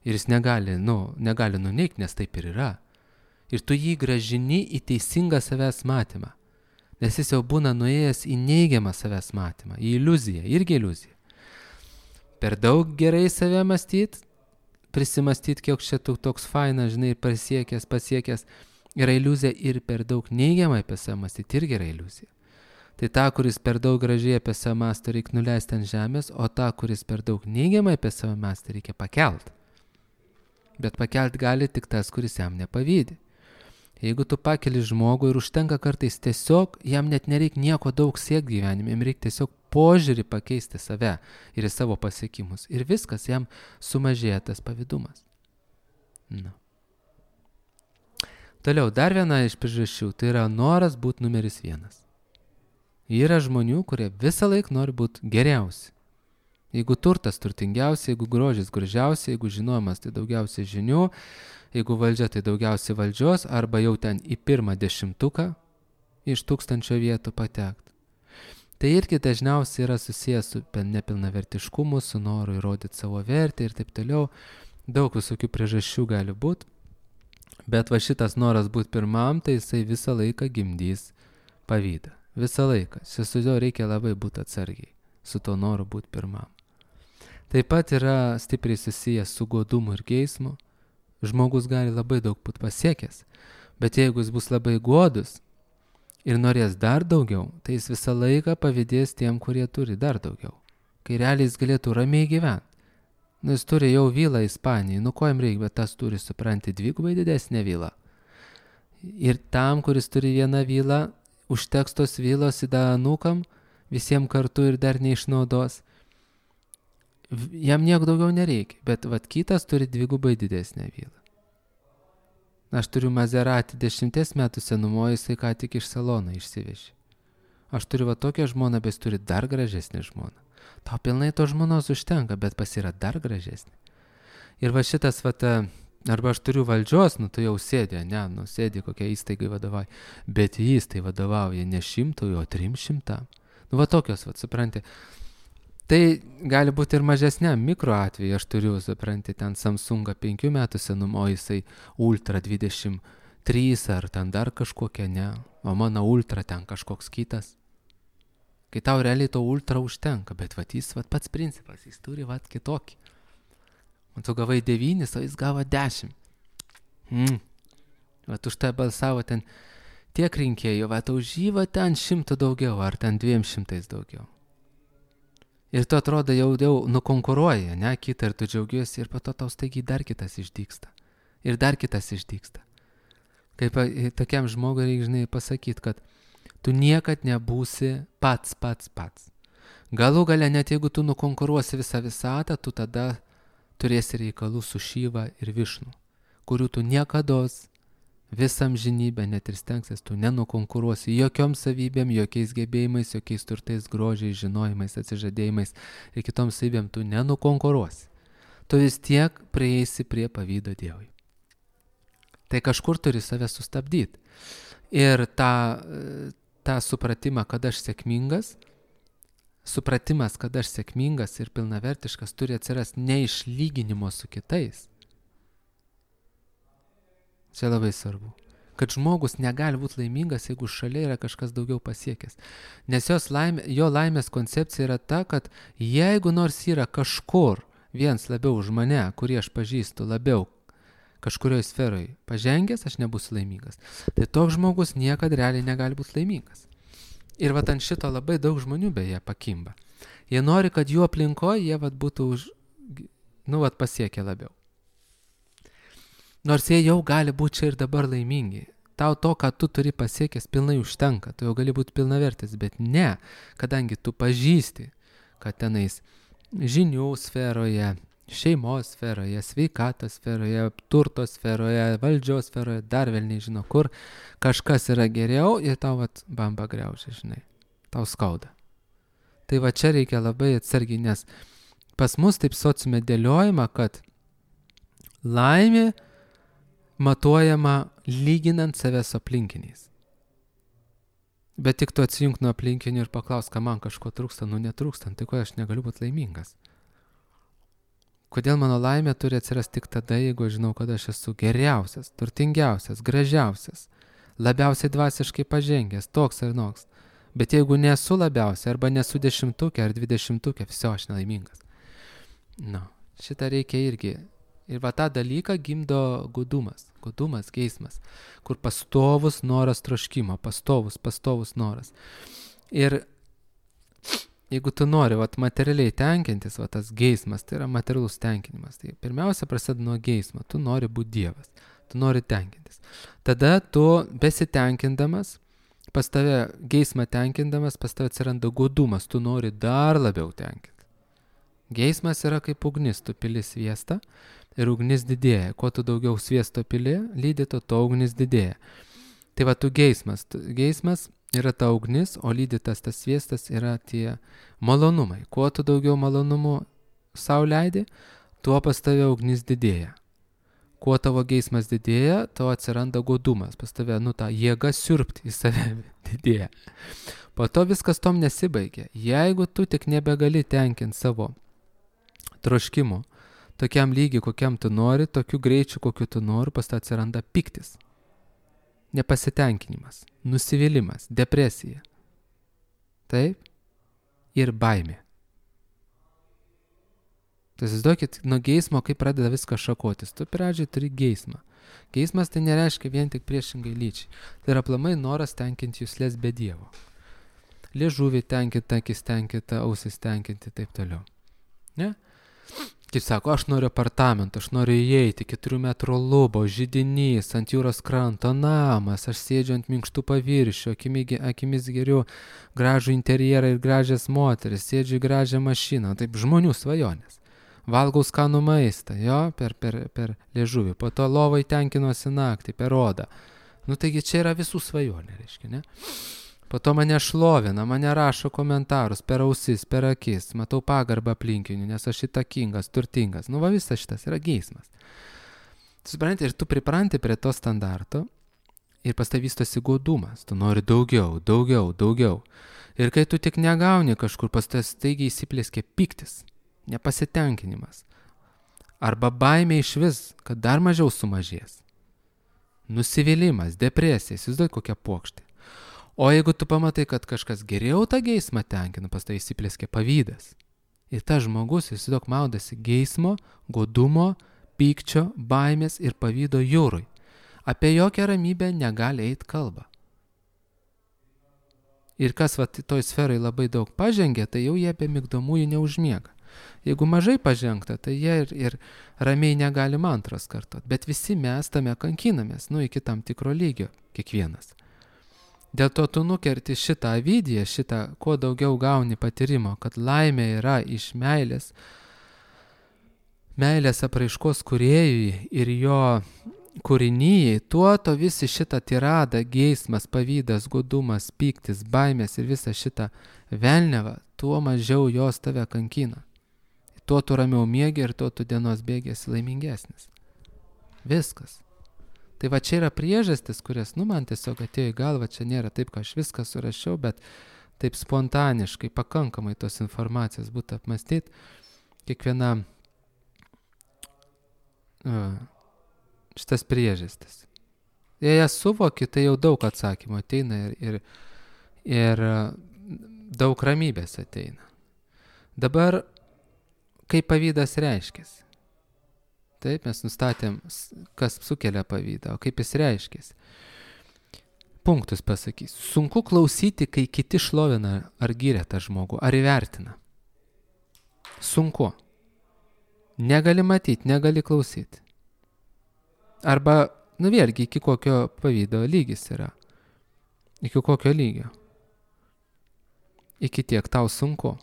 Ir jis negali nuneikti, nes taip ir yra. Ir tu jį grąžini į teisingą savęs matymą. Nes jis jau būna nuėjęs į neigiamą savęs matymą, į iliuziją, irgi iliuziją. Per daug gerai save mąstyti, prisimastyti, kiek čia toks fainas, žinai, pasiekęs, yra iliuzija ir per daug neigiamai apie save mąstyti, irgi yra iliuzija. Tai tą, kuris per daug gražiai apie save mąsto, reikia nuleisti ant žemės, o tą, kuris per daug neigiamai apie save mąsto, reikia pakelti. Bet pakelti gali tik tas, kuris jam nepavydi. Jeigu tu pakeli žmogų ir užtenka kartais tiesiog, jam net nereikia nieko daug siekti gyvenime, jam reikia tiesiog požiūrį pakeisti save ir į savo pasiekimus. Ir viskas, jam sumažėja tas pavydumas. Toliau, dar viena iš priežasčių, tai yra noras būti numeris 1. Yra žmonių, kurie visą laiką nori būti geriausi. Jeigu turtas turtingiausia, jeigu grožis gražiausia, jeigu žinojimas tai daugiausiai žinių, jeigu valdžia tai daugiausiai valdžios, arba jau ten į 1 10 iš 1000 vietų patekti. Tai irgi dažniausiai yra susijęs su nepilnavertiškumu, su noru įrodyti savo vertę ir taip toliau. Daug visokių priežasčių gali būti, bet va šitas noras būti pirmam, tai jisai visą laiką gimdys pavydą. Visą laiką. Su juo reikia labai būti atsargiai, su to noru būti pirmam. Taip pat yra stipriai susijęs su godumu ir geismu. Žmogus gali labai daug būti pasiekęs, bet jeigu jis bus labai godus ir norės dar daugiau, tai jis visą laiką pavydės tiem, kurie turi dar daugiau. Kai realiai jis galėtų ramiai gyventi. Jis turi jau vilą Ispanijai, ko jam reikia, bet tas turi, supranti, 2 didesnę vilą. Ir tam, kuris turi vieną vilą, užteks tos vilos į anūkam, visiems kartu ir dar neišnaudos. Jam nieko daugiau nereikia, bet kitas turi 2 didesnę vilą. Aš turiu Maserati 10 metų senumo, jisai ką tik iš salono išsivežė. Aš turiu va tokią žmoną, bet jis turi dar gražesnį žmoną. Tau pilnai to žmonos užtenka, bet pas yra dar gražesnė. Ir va šitas, arba aš turiu valdžios, tu jau sėdė, sėdė kokia įstaigai vadovauja, bet jis tai vadovauja ne 100, o 300. Va tokios, supranti. Tai gali būti ir mažesniam mikro atveju, aš turiu, supranti, ten Samsungą 5 metų senumo, jisai Ultra 23 ar ten dar kažkokia, ne, o mano Ultra ten kažkoks kitas. Kai tau realiai to Ultra užtenka, bet jis pats principas, jis turi kitokį. Tu gavai 9, o jis gavo 10. Už tai balsavo ten tiek rinkėjų, už jį ten 100 daugiau, ar ten 200 daugiau. Ir tu atrodo jau nukonkuruoji, ne, kitą ir tu džiaugiuosi ir po to tau staigiai dar kitas išdygsta. Ir dar kitas išdygsta. Kaip tokiam žmogui reikia, žinai, pasakyti, kad tu niekad nebūsi pats. Galų gale, net jeigu tu nukonkuruosi visą visatą, tu tada turėsi reikalų su Šyva ir Višnu, kurių tu niekados visam žinybę net ir stengsies, tu nenukonkuruosi jokiom savybėm, jokiais gebėjimais, jokiais turtais, grožiais, žinojimais, atsižadėjimais ir kitom savybėm tu nenukonkuruosi. Tu vis tiek prieisi prie pavydo Dievui. Tai kažkur turi save sustabdyti. Ir tą supratimą, kad aš sėkmingas, ir pilnavertiškas turi atsirasti ne iš lyginimo su kitais. Čia labai svarbu. Kad žmogus negali būti laimingas, jeigu šalia yra kažkas daugiau pasiekęs. Nes jo laimės koncepcija yra ta, kad jeigu nors yra kažkur viens labiau už mane, kurį aš pažįstu labiau kažkurioje sferoje pažengęs, aš nebūsiu laimingas. Tai toks žmogus niekada realiai negali būti laimingas. Ir ant šito labai daug žmonių beje pakimba. Jie nori, kad jų aplinkoje jie būtų pasiekę labiau. Nors jie jau gali būti čia ir dabar laimingi. Tau to, ką tu turi pasiekęs, pilnai užtenka. Tu jau gali būti pilnavertis, bet ne, kadangi tu pažįsti, kad tenais žinių sferoje, šeimos sferoje, sveikatos sferoje, turto sferoje, valdžios sferoje, dar vėl nežino kur, kažkas yra geriau ir tau bamba griaužia, žinai. Tau skauda. Tai čia reikia labai atsargiai, nes pas mus taip sociume dėliojama, kad laimė matuojama lyginant save su aplinkiniais. Bet tik tu atsijunk nuo aplinkinių ir paklaus, ką man kažko trūksta, netrūksta, tai ko aš negaliu būti laimingas. Kodėl mano laimė turi atsirasti tik tada, jeigu aš žinau, kad aš esu geriausias, turtingiausias, gražiausias, labiausiai dvasiškai pažengęs, toks ar noks. Bet jeigu nesu labiausiai, arba nesu 10 ar 20, viso aš nelaimingas. Šitą reikia irgi. Ir tą dalyką gimdo godumas, geismas, kur pastovus noras troškimo, pastovus noras. Ir jeigu tu nori materialiai tenkintis, tas geismas, tai yra materialus tenkinimas, tai pirmiausia prasideda nuo geismo, tu nori būti Dievas, tu nori tenkintis. Tada tu besitenkindamas, pas tave geismą tenkindamas, pas tave atsiranda godumas, tu nori dar labiau tenkinti. Geismas yra kaip ugnis, tu pili sviestą ir ugnis didėja. Kuo tu daugiau sviesto pili, lydyto, to ugnis didėja. Tai tu geismas. Geismas yra ta ugnis, o lydytas tas sviestas yra tie malonumai. Kuo tu daugiau malonumų sau leidi, tuo pas tave ugnis didėja. Kuo tavo geismas didėja, tavo atsiranda godumas. Pas tave, ta jėga siurbti į save didėja. Po to viskas tom nesibaigia. Jeigu tu tik nebegali tenkinti savo troškimų, tokiam lygiai, kokiam tu nori, tokiu greičiu, kokiu tu nori, pas tave atsiranda piktis, nepasitenkinimas, nusivylimas, depresija. Taip? Ir baimė. Tai įsivaizduokit, nuo geismo, kaip pradeda viską šakotis. Tu pradžiai turi geismą. Geismas tai nereiškia vien tik priešingai lyčiai. Tai yra aplamai noras tenkinti juslės be Dievo. Liežuvį tenkinti, akis tenkinti, ausis tenkinti, taip toliau. Ne? Kaip sako, aš noriu apartamento, aš noriu įeiti, 4 metrų lubos, židinys, ant jūros kranto, namas, aš sėdžiu ant minkštų paviršių, akimis geriu gražų interjerą ir gražias moteris, sėdžiu į gražią mašiną, taip žmonių svajonės. valgau skanų maistą, jo, per liežuvį, po to lovai tenkinuosi naktį, per odą. Nu taigi čia yra visų svajonė, reiškia, ne? Po to mane šlovina, mane rašo komentarus per ausis, per akis, matau pagarbą aplinkinių, nes aš įtakingas, turtingas. Nu va visas šitas yra geismas. Supranti, ir tu pripranti prie to standarto ir pas tai vystosi godumas. Tu nori daugiau, daugiau, daugiau. Ir kai tu tik negauni kažkur, pas tai staigiai įsiplėskė pyktis, nepasitenkinimas. Arba baimė iš vis, kad dar mažiau sumažės. Nusivylimas, depresija, įsivaizduoji kokia puokštė. O jeigu tu pamatai, kad kažkas geriau tą geismą tenkina, pas tai įsiplėskė pavydas. Ir tas žmogus, įsivaizduok, maudasi geismo, godumo, pykčio, baimės ir pavydo jūrui. Apie jokią ramybę negali eiti kalba. Ir kas toj sferai labai daug pažengė, tai jau jie apie migdomųjų neužmiega. Jeigu mažai pažengta, tai jie ir ramiai negali mantros kartot. Bet visi mes tame kankinamės, iki tam tikro lygio, kiekvienas. Dėl to tu nukerti šitą vidiją, kuo daugiau gauni patyrimo, kad laimė yra iš meilės apraiškos kūrėjui ir jo kūrinyjai, tuo to visi šitą tiradą, geismas, pavydas, godumas, pyktis, baimės ir visą šitą velniavą, tuo mažiau jos tave kankina. Tuo tu ramiau miegi ir tuo tu dienos bėgėsi laimingesnis. Viskas. Tai va čia yra priežastis, kurias, man tiesiog atėjo į galvą, čia nėra taip, kad aš viską surašiau, bet taip spontaniškai, pakankamai tos informacijos būtų apmastyti. Kiekviena šitas priežastis. Jei jas suvoki, tai jau daug atsakymų ateina ir daug ramybės ateina. Dabar, kaip pavydas reiškiasi? Taip, mes nustatėm, kas sukelia pavydą, o kaip jis reiškiasi. Punktus pasakysiu. Sunku klausyti, kai kiti šlovina ar giria tą žmogų, ar įvertina. Sunku. Negali matyti, negali klausyti. Arba, vėlgi, iki kokio pavydo lygis yra. Iki kokio lygio. Iki tiek tau sunku.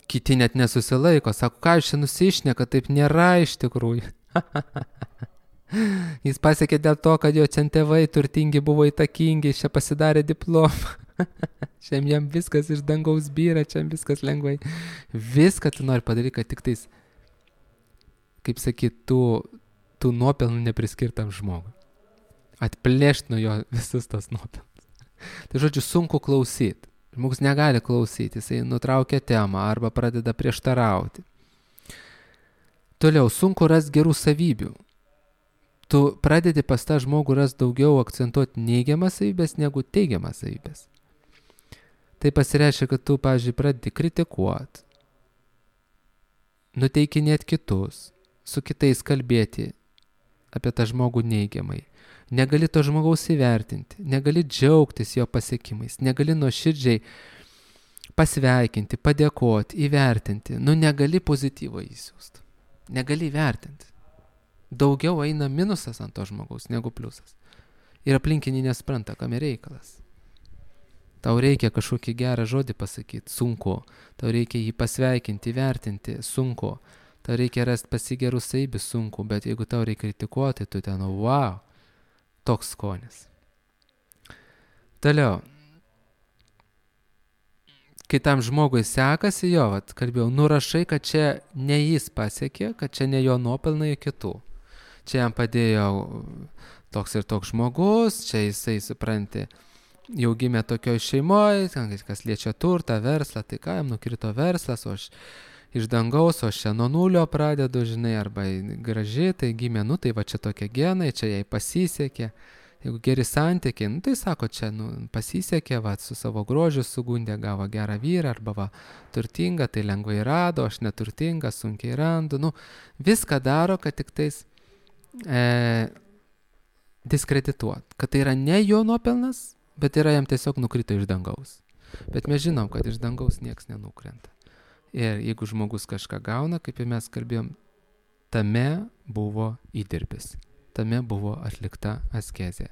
Kiti net nesusilaiko, sako, ką jūs čia nusišneka, taip nėra iš tikrųjų. Jis pasiekė dėl to, kad jo čia tėvai turtingi buvo įtakingi, čia pasidarė diplomą. Šiam jam viskas iš dangaus byra, čia viskas lengvai. Viską tu nori padaryti, kad tik tais, kaip sakyt, tų nuopelnų nepriskirtam žmogui. Atplėšt nuo jo visus tos nuopelnus. Tai žodžiu, sunku klausyti. Žmogus negali klausyti, jisai nutraukia temą arba pradeda prieštarauti. Toliau, sunku rasti gerų savybių. Tu pradedi pas tą žmogų rasti daugiau akcentuoti neigiamas savybės negu teigiamas savybės. Tai pasireiškia, kad tu, pavyzdžiui, pradedi kritikuoti, nuteikinėti kitus, su kitais kalbėti apie tą žmogų neigiamai. Negali to žmogaus įvertinti, negali džiaugtis jo pasiekimais, negali nuoširdžiai pasveikinti, padėkoti, įvertinti. Negali pozityvo įsiųsti, negali įvertinti. Daugiau eina minusas ant to žmogaus negu pliusas. Ir aplinkiniai nespranta, kam yra reikalas. Tau reikia kažkokį gerą žodį pasakyti, sunku. Tau reikia jį pasveikinti, įvertinti, sunku. Tau reikia rasti pasigerų savybių, sunku, bet jeigu tau reikia kritikuoti, tu ten, wow. Toks skonis. Toliau. Kai tam žmogui sekasi, kalbėjau, nurašai, kad čia ne jis pasiekė, kad čia ne jo nuopelnai kitų. Čia jam padėjo toks ir toks žmogus, čia jisai, supranti, jau gimė tokioj šeimoje, kas liečia turtą, verslą, tai ką jam nukrito verslas, o aš iš dangaus, o aš čia nuo nulio pradedu, žinai, arba graži, tai gimė, tai va čia tokie genai, čia jai pasisekė. Jeigu geri santykiai, tai sako, čia pasisekė, su savo grožiu sugundė, gavo gerą vyrą, arba turtinga, tai lengvai rado, aš neturtinga, sunkiai randu. Viską daro, kad tik tais diskredituot. Kad tai yra ne jo nuopelnas, bet yra jam tiesiog nukrito iš dangaus. Bet mes žinom, kad iš dangaus nieks nenukrenta. Ir jeigu žmogus kažką gauna, kaip ir mes kalbėjom, tame buvo įdirbis. Tame buvo atlikta askezė.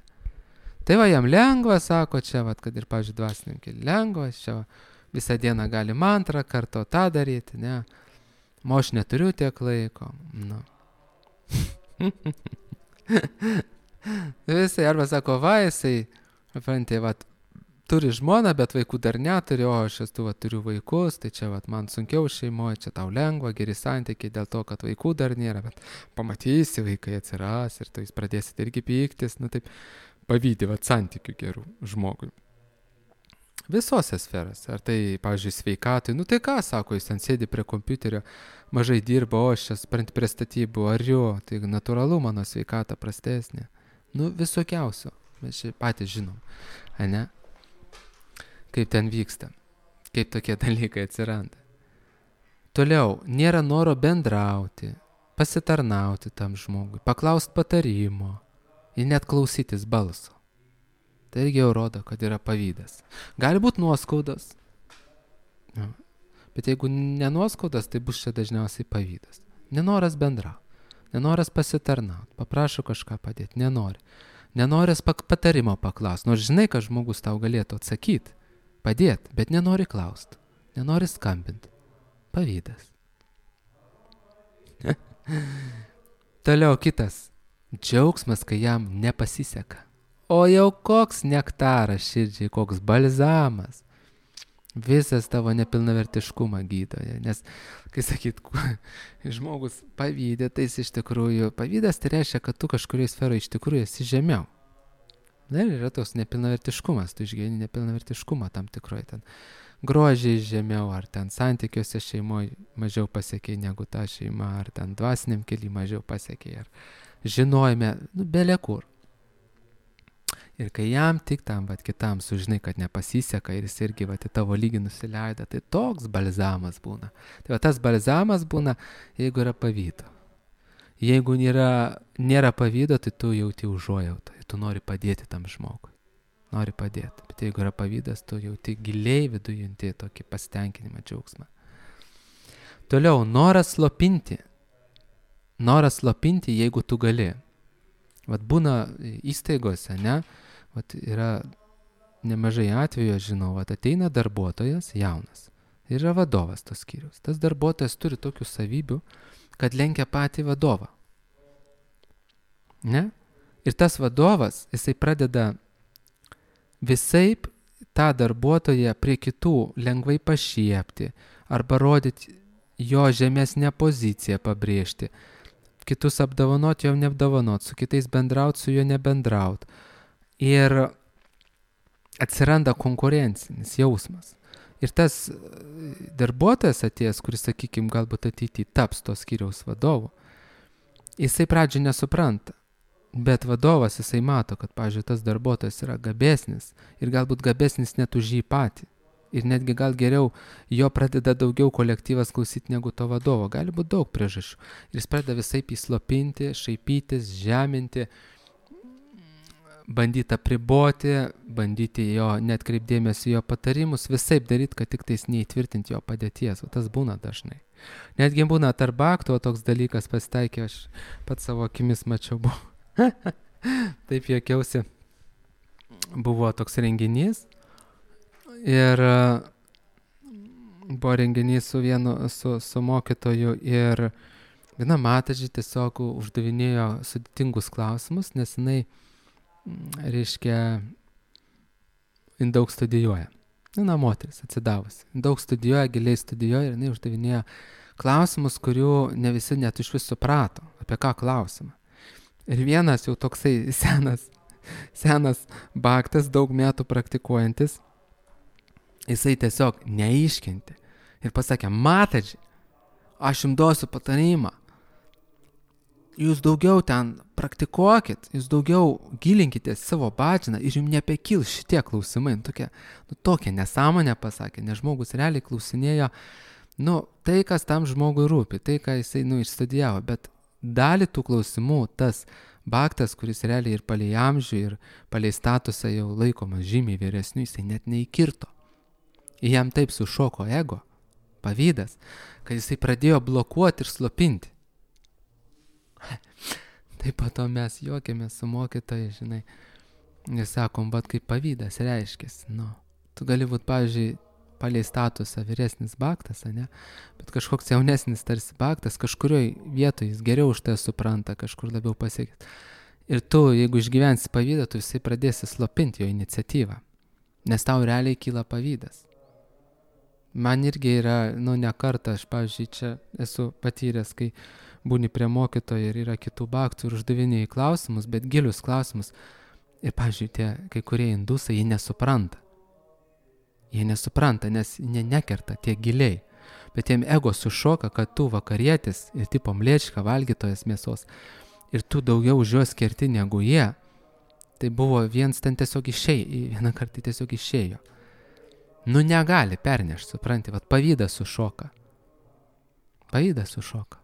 Tai va jam lengva, sako čia, kad ir, pavyzdžiui, dvasininkai, lengva, čia visą dieną gali mantrą karto tą daryti, ne. O aš neturiu tiek laiko. Nu. Visai, arba sako, va, jisai, turi žmoną, bet vaikų dar neturi, o aš esu, turiu vaikus, tai čia, man sunkiau šeimoje, čia tau lengva, geri santykiai dėl to, kad vaikų dar nėra, bet pamatysi, vaikai atsiras ir tu jis pradėsit irgi pyktis, taip, pavydį, santykių gerų žmogui. Visose sferose, ar tai, pavyzdžiui, sveikatai, tai ką, sako, jis ten sėdi prie kompiuterio, mažai dirba, o aš čia prie statybų, ar jo, tai natūralu, mano sveikata prastesnė. Visokiausio, mes čia patys žinom, ne? Kaip ten vyksta, kaip tokie dalykai atsiranda. Toliau, nėra noro bendrauti, pasitarnauti tam žmogui, paklausti patarimo ir net klausytis balso. Tai irgi jau rodo, kad yra pavydas. Gali būti nuoskaudas, bet jeigu nenuoskaudas, tai bus čia dažniausiai pavydas. Nenoras bendrauti, nenoras pasitarnauti, paprašo kažką padėti, nenori. Nenoras patarimo paklausti, nors žinai, kad žmogus tau galėtų atsakyti. Padėti, bet nenori klausti, nenori skambinti. Pavydas. Toliau kitas. Džiaugsmas, kai jam nepasiseka. O jau koks nektaras širdžiai, koks balzamas. Visas tavo nepilnavertiškumą gydoja. Nes, kai sakyt, žmogus pavydė, tai jis iš tikrųjų, pavydas tai reiškia, kad tu kažkurioje sferoje iš tikrųjų esi žemiau. Dar yra tos nepilnavertiškumas, tu išgyveni nepilnavertiškumą tam tikroje ten grožiai žemiau, ar ten santykiuose šeimoje mažiau pasiekiai negu ta šeima, ar ten dvasiniam kely mažiau pasiekiai, ar žinojime, bele kur. Ir kai jam tik tam, kitam sužinai, kad nepasiseka ir jis irgi į tavo lygį nusileido, tai toks balzamas būna. Tai tas balzamas būna, jeigu yra pavydo. Jeigu nėra pavydo, tai tu jauti užuojautą, tu nori padėti tam žmogui. Nori padėti. Bet jeigu yra pavydas, tu jauti giliai viduje junti tokį pasitenkinimą, džiaugsmą. Toliau, noras slopinti. Noras slopinti, jeigu tu gali. Būna įstaigose, ne? Yra nemažai atvejų, aš žinau, ateina darbuotojas jaunas. Yra vadovas tos skyriaus. Tas darbuotojas turi tokių savybių, kad lenkia patį vadovą. Ne? Ir tas vadovas, jisai pradeda visaip tą darbuotoją prie kitų lengvai pašiepti arba rodyti jo žemesnę poziciją pabrėžti. Kitus apdovanoti, jo neapdovanoti, su kitais bendrauti, su juo nebendrauti. Ir atsiranda konkurencinis jausmas. Ir tas darbuotojas atėjęs, kuris, sakykime, galbūt ateityje taps to skyriaus vadovu, jisai pradžioj nesupranta. Bet vadovas, jisai mato, kad, pavyzdžiui, tas darbuotojas yra gabesnis ir galbūt gabesnis net už jį patį. Ir netgi gal geriau jo pradeda daugiau kolektyvas klausyti negu to vadovo. Gali būti daug priežasčių. Ir jis pradeda visaip įslopinti, šaipytis, žeminti, bandyti apriboti, bandyti jo net kreipdėmėsi jo patarimus, visaip daryti, kad tik tais neįtvirtinti jo padėties. O tas būna dažnai. Netgi būna tarp aktų, o toks dalykas pasitaikė, aš pats savo akimis mačiau. Taip juokiausi. Buvo toks renginys ir buvo renginys su mokytoju ir viena matažį tiesiog uždavinėjo sudėtingus klausimus, nes jinai, reiškia, jin daug studijuoja. Viena moteris atsidavusi. Daug studijuoja, giliai studijuoja ir jinai uždavinėjo klausimus, kurių ne visi net iš vis suprato, apie ką klausimą. Ir vienas jau toksai senas baktas, daug metų praktikuojantis, jisai tiesiog neiškentė. Ir pasakė, mataži, aš jums duosiu patarimą. Jūs daugiau ten praktikuokit, jūs daugiau gilinkite savo bačiną ir jums nepekils šitie klausimai. Tokia nesąmonė pasakė, nes žmogus realiai klausinėjo, tai, kas tam žmogui rūpi, tai, ką jisai išstudijavo, bet dalį tų klausimų tas baktas, kuris realiai ir palei amžių, ir palei statusą jau laikomas žymiai vyresniu, jisai net neįkirto. Jam taip sušoko ego, pavydas, kad jisai pradėjo blokuoti ir slopinti. Taip pat mes juokėmės su mokytojai, žinai, ir sakom, bet kaip pavydas reiškės. Tu gali būti, palei statusą vyresnis baktas, ne? Bet kažkoks jaunesnis tarsi baktas, kažkurioj vietoje jis geriau už tai supranta, kažkur labiau pasiekęs. Ir tu, jeigu išgyvensi pavydą, tu visai pradėsi slopinti jo iniciatyvą, nes tau realiai kyla pavydas. Man irgi yra, ne kartą, aš, pavyzdžiui, čia esu patyręs, kai būni prie mokytojo ir yra kitų baktų ir uždavinėjai klausimus, bet gilius klausimus. Ir, pavyzdžiui, tie kai kurie indusai, jie nesupranta. Jie nesupranta, nes jie nekerta tiek giliai. Bet jiem ego sušoka, kad tu vakarietis ir tipo mlėčka valgytojas mėsos ir tu daugiau už juos kerti negu jie. Tai buvo vienas ten tiesiog vieną kartą tiesiog išėjo. Negali pernešti, supranti, vat pavydas sušoka. Pavydas sušoka.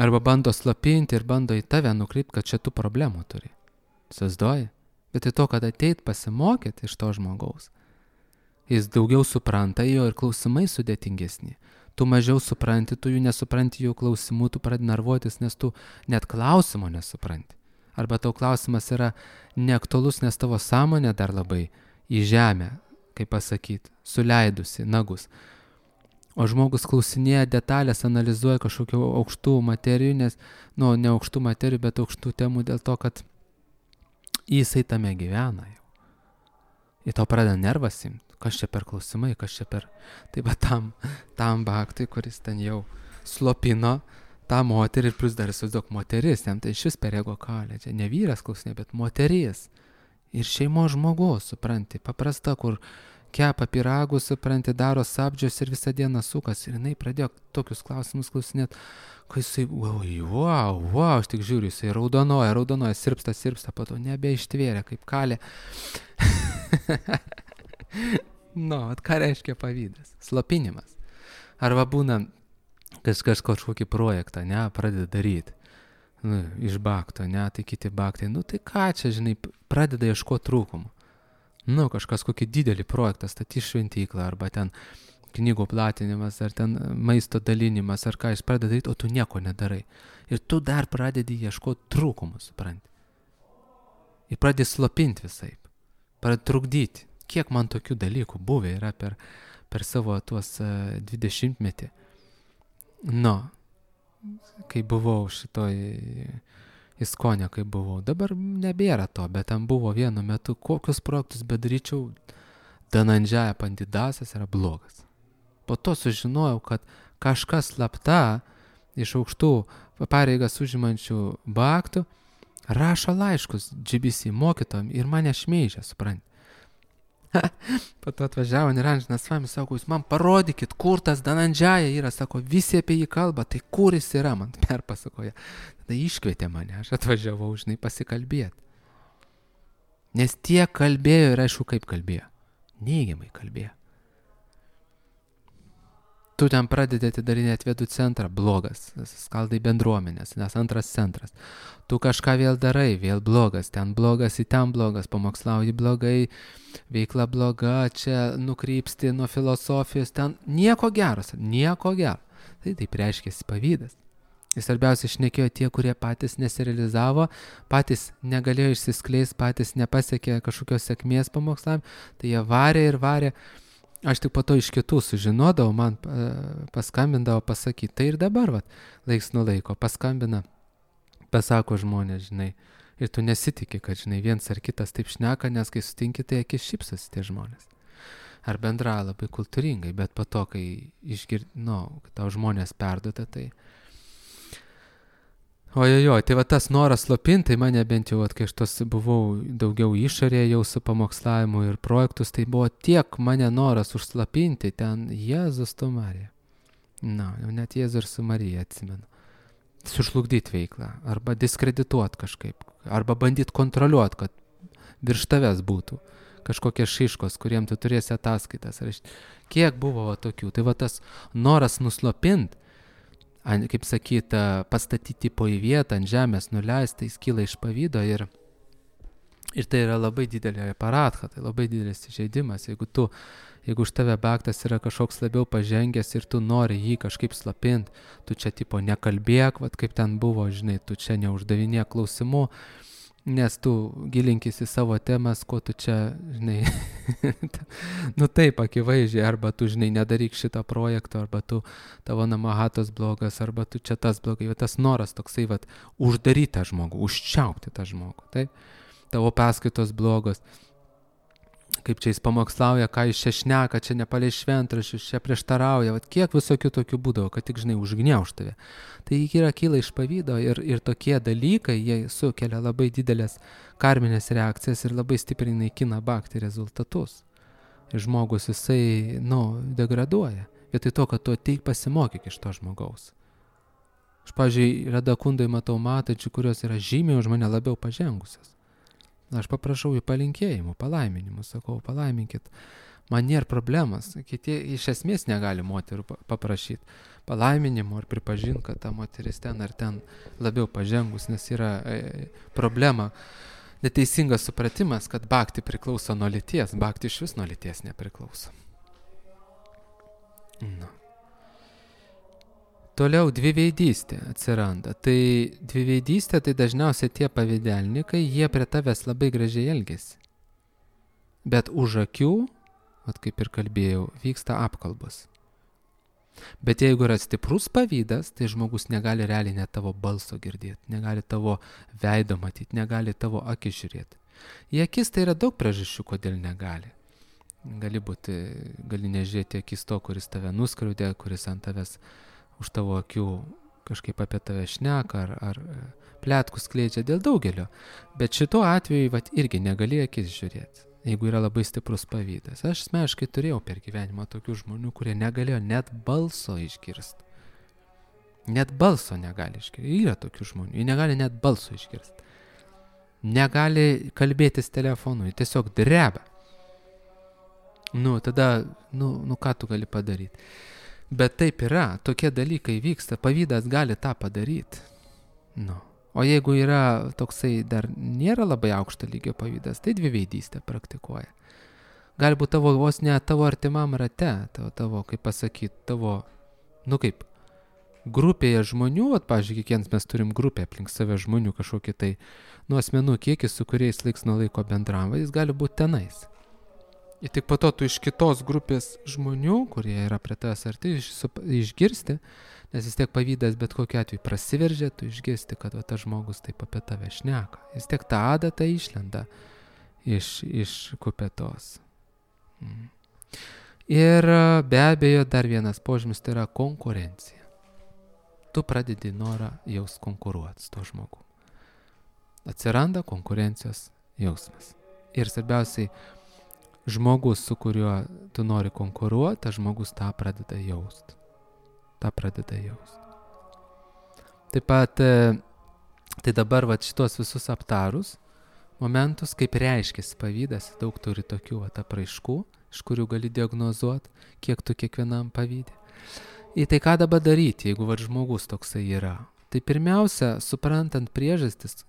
Arba bando slopinti ir bando į tave nukreipti, kad čia tu problemų turi. Sazdoji. Bet į to, kad ateit pasimokyti iš to žmogaus, jis daugiau supranta jo ir klausimai sudėtingesni. Tu mažiau supranti, tu jų nesupranti jų klausimų, tu pradedi nervuotis, nes tu net klausimo nesupranti. Arba tau klausimas yra neaktualus, nes tavo sąmonė dar labai į žemę, kaip pasakyti, suleidusi nagus. O žmogus klausinėja detalės, analizuoja kažkokių aukštų materijų, nes, ne aukštų materijų, bet aukštų temų dėl to, kad jisai tame gyvena jau. Ir to pradeda nervas imti. Kas čia per klausimai, kas čia per... Tai va tam baktui, kuris ten jau slopino tą moterį ir plus dar įsivaizduok moteris, jam tai šis per ego kalė. Čia ne vyras klausinė, bet moteris. Ir šeimos žmogus, supranti, paprasta, kur kepa pyragus, supranti, daro sapdžius ir visą dieną sukas. Ir jinai pradėjo tokius klausimus klausinėti, kai jisai, wow, aš tik žiūriu, jisai raudonoja, sirpsta, po to nebeištvėrė, kaip kalė. Ką reiškia pavydas? Slopinimas. Arba būna kažkokį projektą, pradeda daryti. Iš bakto, tai kiti baktai. Tai ką čia, žinai, pradeda ieškoti trūkumų. Kažkas kokį didelį projektą, statys šventyklą, arba ten knygų platinimas, ar ten maisto dalinimas, ar ką jis pradeda daryti, o tu nieko nedarai. Ir tu dar pradedi ieškoti trūkumų, supranti. Ir pradedi slopinti visaip. Pradedi trukdyti. Kiek man tokių dalykų buvę yra per savo tuos 20-metį. Kai buvau šitoj Iskonė, kai buvau. Dabar nebėra to, bet ten buvo vienu metu, kokius projektus bedaryčiau, Danandžaja Pandidasas yra blogas. Po to sužinojau, kad kažkas slapta iš aukštų pareigas užimančių baktų rašo laiškus GBC mokytojam ir mane šmeižia, supranti. Po to atvažiavo Niranžinas Svamis, sako, jūs man parodykit, kur tas Danandžaja yra, sako, visi apie jį kalba, tai kur jis yra, man perpasakoja. Tada iškvietė mane, aš atvažiavau, žinai, pasikalbėti. Nes tie kalbėjo ir aišku, kaip kalbėjo. Neigiamai kalbėjo. Tu ten pradedi atidarinėti Vedų centrą, blogas, skaldai bendruomenės, nes antras centras. Tu kažką vėl darai, vėl blogas, ten blogas, į ten blogas, pamokslauji blogai, veikla bloga, čia nukrypsti nuo filosofijos, ten nieko gero. Tai taip reiškiasi pavydas. Ir svarbiausia, šnekėjo tie, kurie patys nesirealizavo, patys negalėjo išsiskleisti, patys nepasiekė kažkokios sėkmės pamokslavim, tai jie varė. Aš tik po to iš kitų sužinodavau, man paskambindavo pasakyti. Tai ir dabar, laiks nuo laiko paskambina, pasako žmonės, žinai. Ir tu nesitiki, kad, žinai, viens ar kitas taip šneka, nes kai sutinki, tai akis šypsosi tie žmonės. Ar bendra labai kultūringai, bet po to, kai kad tau žmonės perduota, tai... Tai va tas noras slopinti, mane bent jau, kai aš tos buvau daugiau išorėje jau su pamokslavimu ir projektus, tai buvo tiek mane noras užslapinti ten Jėzus tu Marija. Jau net Jėzus ir su Marija atsimenu. Sužlugdyti veiklą, arba diskredituoti kažkaip, arba bandyti kontroliuoti, kad virš tavęs būtų kažkokie šiškos, kuriem tu turėsi ataskaitas. Kiek buvo tokių? Tai va tas noras nuslopinti, kaip sakyta, pastatyti po į vietą, ant žemės nuleisti, jis kyla iš pavydo ir tai yra labai didelė aparatha, tai labai didelis įžeidimas. Jeigu už tave baktas yra kažkoks labiau pažengęs ir tu nori jį kažkaip slopinti, tu čia tipo nekalbėk, kaip ten buvo, žinai, tu čia neuždavinėk klausimų, Nes tu gilinkis į savo temas, ko tu čia, žinai, nu taip, akivaizdžiai, arba tu, žinai, nedaryk šitą projektą, arba tu, tavo namahatos blogas, arba tu čia tas blogai, bet tas noras toksai, vat, uždaryti tą žmogų, užčiaupti tą žmogų, taip, tavo paskaitos blogos, kaip čia jis pamokslauja, ką jis čia šneka, čia nepalei šventraščius, čia prieštarauja, vat, kiek visokių tokių būdavo, kad tik, žinai, užgniauš tave. Tai kyla iš pavydo ir tokie dalykai, jie sukelia labai didelės karminės reakcijas ir labai stipriai naikina bhakti rezultatus. Ir žmogus jisai, degraduoja. Vietoj to, kad tu ateik pasimokyk iš to žmogaus. Aš, pavyzdžiui, Radakundai matau matančių, kurios yra žymiai už mane labiau pažengusios. Aš paprašau jų palinkėjimų, palaiminimų, sakau, palaiminkit. Man nėra problemas, kiti iš esmės negali moterų paprašyti palaiminimo ar pripažinti, kad ta moteris ten ar ten labiau pažengus, nes yra problema, neteisingas supratimas, kad bhakti priklauso nuo lyties, bhakti iš vis nuo lyties nepriklauso. Toliau dviveidystė atsiranda. Tai dviveidystė, tai dažniausiai tie pavydelnikai, jie prie tavęs labai gražiai elgiasi. Bet už akių, kaip ir kalbėjau, vyksta apkalbos. Bet jeigu yra stiprus pavydas, tai žmogus negali realiai net tavo balso girdėti, negali tavo veido matyti, negali tavo akis žiūrėti. Į akis tai yra daug priežasčių, kodėl negali. Gali nežiūrėti akis to, kuris tave nuskriaudė, kuris ant tavęs už tavo akių kažkaip apie tave šneka ar pletkus skleidžia dėl daugelio. Bet šituo atveju irgi negali akis žiūrėti, jeigu yra labai stiprus pavydas. Aš asmeniškai turėjau per gyvenimą tokių žmonių, kurie negalėjo net balso išgirsti. Net balso negali išgirsti. Yra tokių žmonių, jie negali net balso išgirsti. Negali kalbėtis telefonu, jie tiesiog dreba. Tada, ką tu gali padaryti? Bet taip yra, tokie dalykai vyksta, pavydas gali tą padaryti. O jeigu yra toksai dar nėra labai aukšto lygio pavydas, tai dviveidystę praktikuoja. Galbūt tavo vos ne tavo artimam rate, tavo, kaip pasakyti, tavo, kaip grupėje žmonių, pavyzdžiui, kiekvienas mes turim grupę aplink save žmonių kažkokį tai, asmenų kiekis, su kuriais laiks nuo laiko bendravo, jis gali būti tenais. Ir tik po to tu iš kitos grupės žmonių, kurie yra prie tavęs arti, išgirsti, nes vis tiek pavydas bet kokiu atveju prasiveržia, tu išgirsti, kad tas žmogus taip apie tave šneka. Vis tiek ta adata išlenda iš kupetos. Ir be abejo dar vienas požymis, tai yra konkurencija. Tu pradedi norą jaus konkuruoti su to žmogu. Atsiranda konkurencijos jausmas. Ir svarbiausiai, žmogus, su kuriuo tu nori konkuruoti, tas žmogus tą pradeda jausti. Taip pat, tai dabar šitos visus aptarus momentus, kaip reiškiasi pavydas, daug turi tokių apraiškų, iš kurių gali diagnozuoti, kiek tu kiekvienam pavydė. Ir tai ką dabar daryti, jeigu žmogus toksai yra? Tai pirmiausia, suprantant priežastis,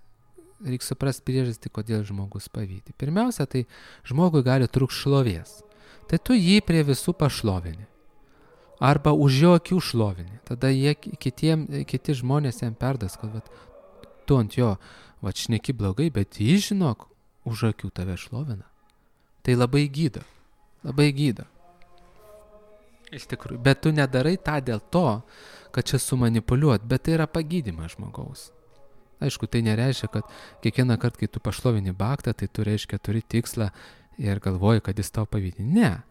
reikia suprasti priežastį, kodėl žmogus pavydė. Pirmiausia, tai žmogui gali trūkti šlovės. Tai tu jį prie visų pašlovini. Arba už jo akių šlovini. Tada kiti žmonės jam perdas, kad tu ant jo šneki blogai, bet jis, žinok, už akių tave šlovina. Tai labai gydo. Iš tikrųjų. Bet tu nedarai tą dėl to, kad čia sumanipuliuot, bet tai yra pagydymas žmogaus. Aišku, tai nereiškia, kad kiekvieną kartą, kai tu pašlovini bhaktą, tai tu reiškia turi tikslą ir galvoji, kad jis tau pavydė. Ne.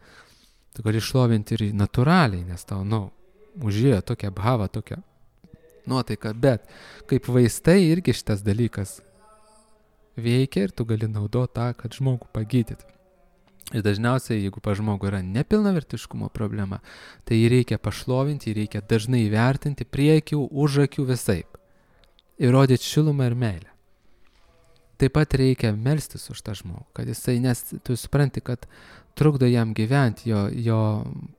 Tu gali šlovinti ir natūraliai, nes tau, užėjo tokia bhava, tokia nuotaika, bet kaip vaistai irgi šitas dalykas veikia ir tu gali naudoti tą, kad žmogų pagydyti. Ir dažniausiai, jeigu pa žmogų yra nepilnavertiškumo problema, tai jį reikia pašlovinti, jį reikia dažnai įvertinti prie akių, už akių visaip. Įrodyti šilumą ir meilę. Taip pat reikia melstis už tą žmogų, kad jisai, nes tu supranti, kad trukdo jam gyventi, jo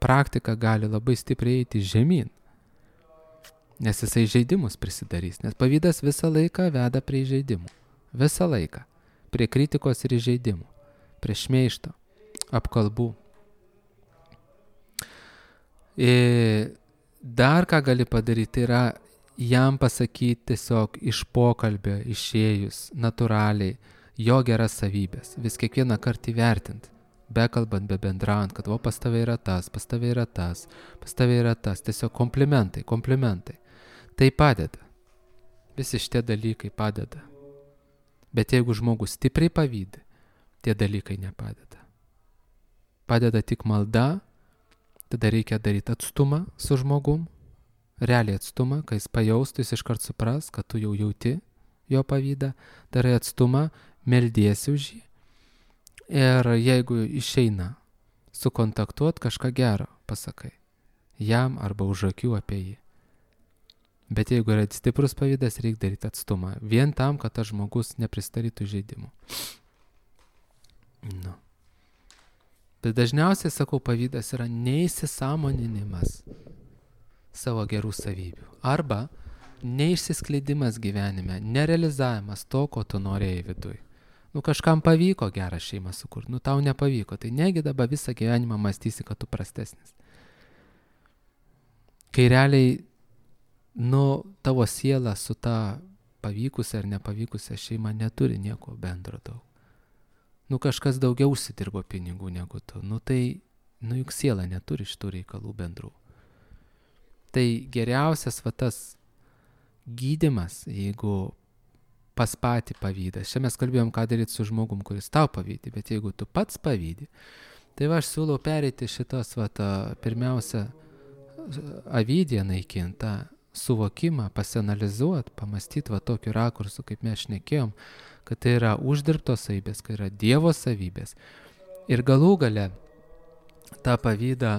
praktika gali labai stipriai eiti žemyn, nes jisai žaidimus prisidarys, nes pavydas visą laiką veda prie žaidimų. Visą laiką. Prie kritikos ir žaidimų. Prie šmeižto, apkalbų. Ir dar ką gali padaryti, yra jam pasakyti tiesiog iš pokalbio išėjus natūraliai jo geras savybės, vis kiekvieną kartą įvertinti, bekalbant, bebendraujant, kad pas tave yra tas, pas tave yra tas, pas tave yra tas, tiesiog komplimentai. Tai padeda. Visi šitie dalykai padeda. Bet jeigu žmogus stipriai pavydi, tie dalykai nepadeda. Padeda tik malda, tada reikia daryti atstumą su žmogum, realiai atstumą, kai jis pajaustų, jis iškart supras, kad tu jau jauti jo pavydą, darai atstumą, meldiesi už jį. Ir jeigu išeina sukontaktuot, kažką gero pasakai jam arba už akių apie jį. Bet jeigu yra stiprus pavydas, reikia daryti atstumą. Vien tam, kad tas žmogus nepristarytų žaidimų. Nu. Bet dažniausiai, sakau, pavydas yra neįsisąmoninimas savo gerų savybių. Arba neišsiskleidimas gyvenime, nerealizavimas to, ko tu norėjai viduj. Kažkam pavyko gerą šeimą sukurti, tau nepavyko, tai negi dabar visą gyvenimą mąstysi, kad tu prastesnis. Kai realiai, tavo siela su ta pavykusia ar nepavykusia šeima neturi nieko bendro daug. Kažkas daugiau užsidirbo pinigų negu tu, juk siela neturi šitų reikalų bendrų. Tai geriausias tas gydymas, jeigu pas patį pavydas. Čia mes kalbėjom, ką daryti su žmogum, kuris tau pavydi, bet jeigu tu pats pavydi, tai aš siūlau pereiti šitos, pirmiausia, avydiją naikintą, suvokimą, pasianalizuoti, pamastyti tokiu rakursu, kaip mes šnekėjom, kad tai yra uždirbtos savybės, kad yra Dievo savybės. Ir galų gale tą pavydą,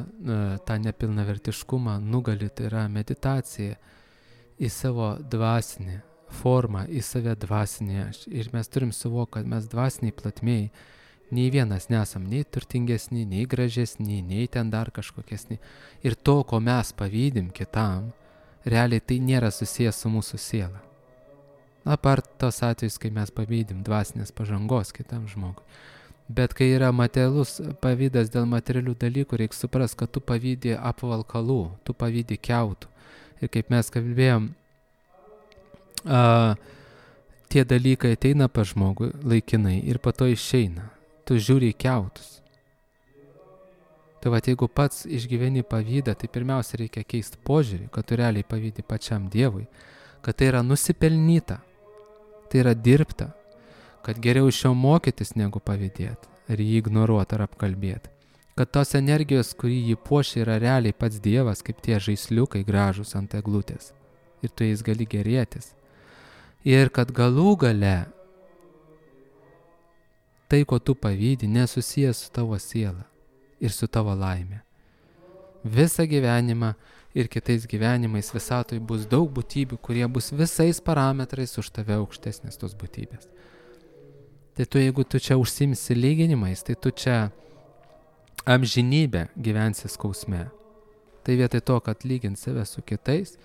tą nepilnavertiškumą nugali, tai yra meditacija į savo dvasinį formą, į save dvasinį aš. Ir mes turim suvokti, kad mes dvasiniai platmėjai, nei vienas nesam nei turtingesni, nei gražesni, nei ten dar kažkokiesni. Ir to, ko mes pavydim kitam, realiai tai nėra susijęs su mūsų siela. Apart tos atvejus, kai mes pavydim dvasinės pažangos kitam žmogui. Bet kai yra materialus pavydas dėl materialių dalykų, reikia suprasti, kad tu pavydi apvalkalų, tu pavydi kiautų. Ir kaip mes kalbėjom, tie dalykai ateina pas žmogų laikinai ir po to išeina. Tu žiūri į kiautus. Tai jeigu pats išgyveni pavydą, tai pirmiausia reikia keisti požiūrį, kad tu realiai pavydi pačiam Dievui, kad tai yra nusipelnyta, tai yra dirbta, kad geriau iš jo mokytis negu pavydėti, ar jį ignoruoti, ar apkalbėti. Kad tos energijos, kurį jį puošia, yra realiai pats Dievas, kaip tie žaisliukai gražus ant eglutės. Ir tu jais gali gerėtis. Ir kad galų gale tai, ko tu pavydi, nesusijęs su tavo siela ir su tavo laimė. Visą gyvenimą ir kitais gyvenimais visatoj bus daug būtybių, kurie bus visais parametrais už tave aukštesnės tos būtybės. Tai tu, jeigu tu čia užsimsi lyginimais, tai tu čia amžinybę gyvensi skausme. Tai vietoj to, kad lygint save su kitais,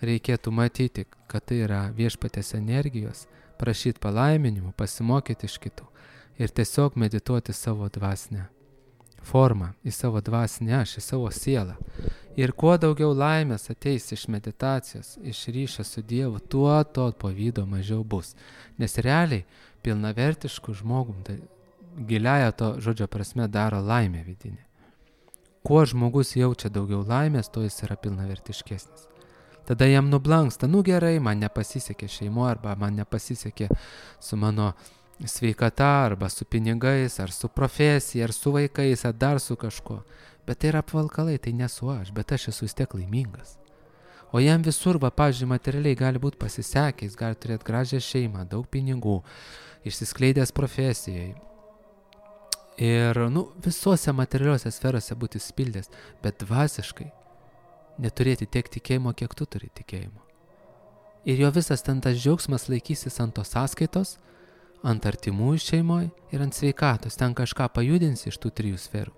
reikėtų matyti, kad tai yra viešpaties energijos, prašyti palaiminimų, pasimokyti iš kitų ir tiesiog medituoti savo dvasinę formą, į savo dvasinę aš, į savo sielą. Ir kuo daugiau laimės ateis iš meditacijos, iš ryšio su Dievu, tuo to pavydo mažiau bus. Nes realiai pilnavertiškų žmogum, tai giliaja to žodžio prasme daro laimę vidinę. Kuo žmogus jaučia daugiau laimės, to jis yra pilnavertiškesnis. Tada jam nublanksta, gerai, man nepasisekė šeimoje, arba man nepasisekė su mano sveikata, arba su pinigais, ar su profesija, ar su vaikais, ar dar su kažkuo. Bet tai yra apvalkalai, tai nesu aš, bet aš esu vis tiek laimingas. O jam visur, pavyzdžiui, materialiai gali būti pasisekę, jis gali turėti gražią šeimą, daug pinigų, išsiskleidęs profesijai. Ir, visose materialiuose sferose būti spildęs, bet dvasiškai neturėti tiek tikėjimo, kiek tu turi tikėjimo. Ir jo visas ten tas džiaugsmas laikysis ant tos sąskaitos, ant artimųjų šeimoje ir ant sveikatos. Ten kažką pajudinsi iš tų 3 sferų.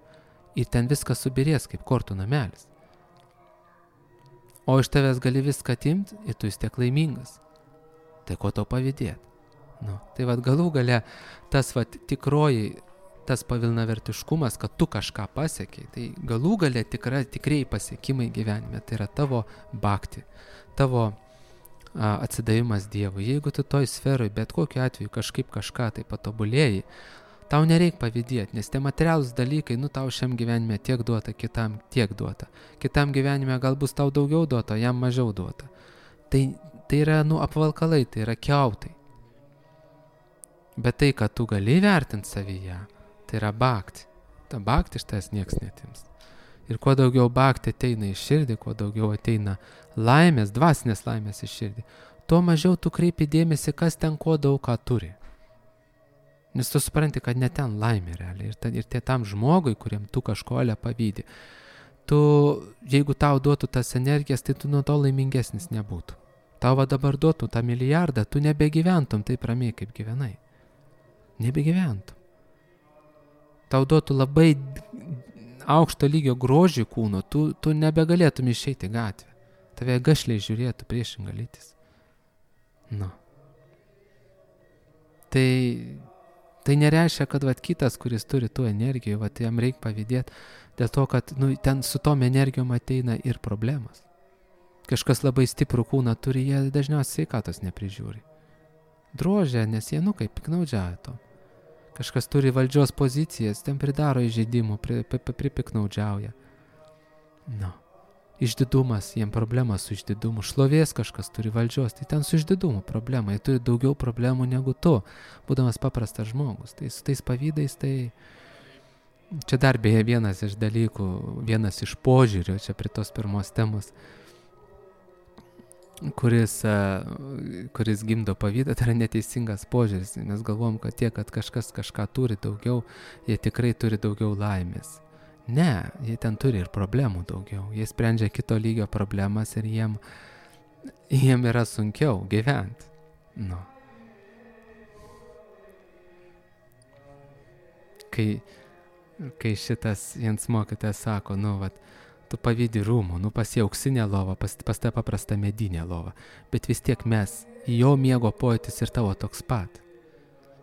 Ir ten viskas subirės kaip kortų namelis. O iš tavęs gali viską atimti ir tu vis tiek laimingas. Tai ko tau pavydėti? Tai galų gale tas tikroji, tas pavilnavertiškumas, kad tu kažką pasiekiai, tai galų gale tikrai pasiekimai gyvenime, tai yra tavo bhakti, tavo atsidavimas Dievui. Jeigu tu toj sferoj, bet kokiu atveju kažką tai patobulėjai, tau nereik pavydėti, nes tie materialūs dalykai, tau šiam gyvenime tiek duota, kitam tiek duota. Kitam gyvenime gal bus tau daugiau duota, jam mažiau duota. Tai yra, apvalkalai, tai yra kiautai. Bet tai, kad tu gali vertinti savyje, tai yra bhakti. Ta bhakti iš tavęs nieks netims. Ir kuo daugiau bhakti ateina į širdį, kuo daugiau ateina laimės, dvasinės laimės į širdį, tuo mažiau tu kreipi dėmesį, kas ten ko daug ką turi. Nes tu supranti, kad ne ten laimė realiai. Ir tam žmogui, kuriam tu kažkolę pavydi, jeigu tau duotų tas energijas, tai tu nuo to laimingesnis nebūtų. Tau dabar duotų tą milijardą, tu nebegyventum taip ramiai, kaip gyvenai. Nebegyventum. Tau duotų labai aukšto lygio grožį kūno, tu nebegalėtum išeiti gatvę. Tave gašliai žiūrėtų priešinga lytis. Tai nereiškia, kad kitas, kuris turi tų energijų, jam reikia pavydėti, dėl to, kad ten su tom energijom ateina ir problemas. Kažkas labai stiprų kūną turi, jie dažniausiai sveikatos neprižiūri. Drožia, nes jie kaip piknaudžiauja to. Kažkas turi valdžios pozicijas, ten pridaro įžeidimų, pripiknaudžiauja. Išdidumas, jiem problema su išdidumu. Šlovės kažkas turi valdžios, tai ten su išdidumu problema. Jie turi daugiau problemų negu tu, būdamas paprastas žmogus. Tai su tais pavydais, tai čia dar beje vienas iš dalykų, vienas iš požiūrio, čia prie tos pirmos temos, kuris gimdo pavydą, tai yra neteisingas požiūris. Mes galvom, kad kad kažkas kažką turi daugiau, jie tikrai turi daugiau laimės. Ne, jie ten turi ir problemų daugiau. Jie sprendžia kito lygio problemas ir jiem yra sunkiau gyventi. Kai šitas viens mokytojas sako, tu pavydi rūmų, pas jį auksinę lovą, pas tą paprastą medinę lovą, bet vis tiek jo miego pojūtis ir tavo toks pat.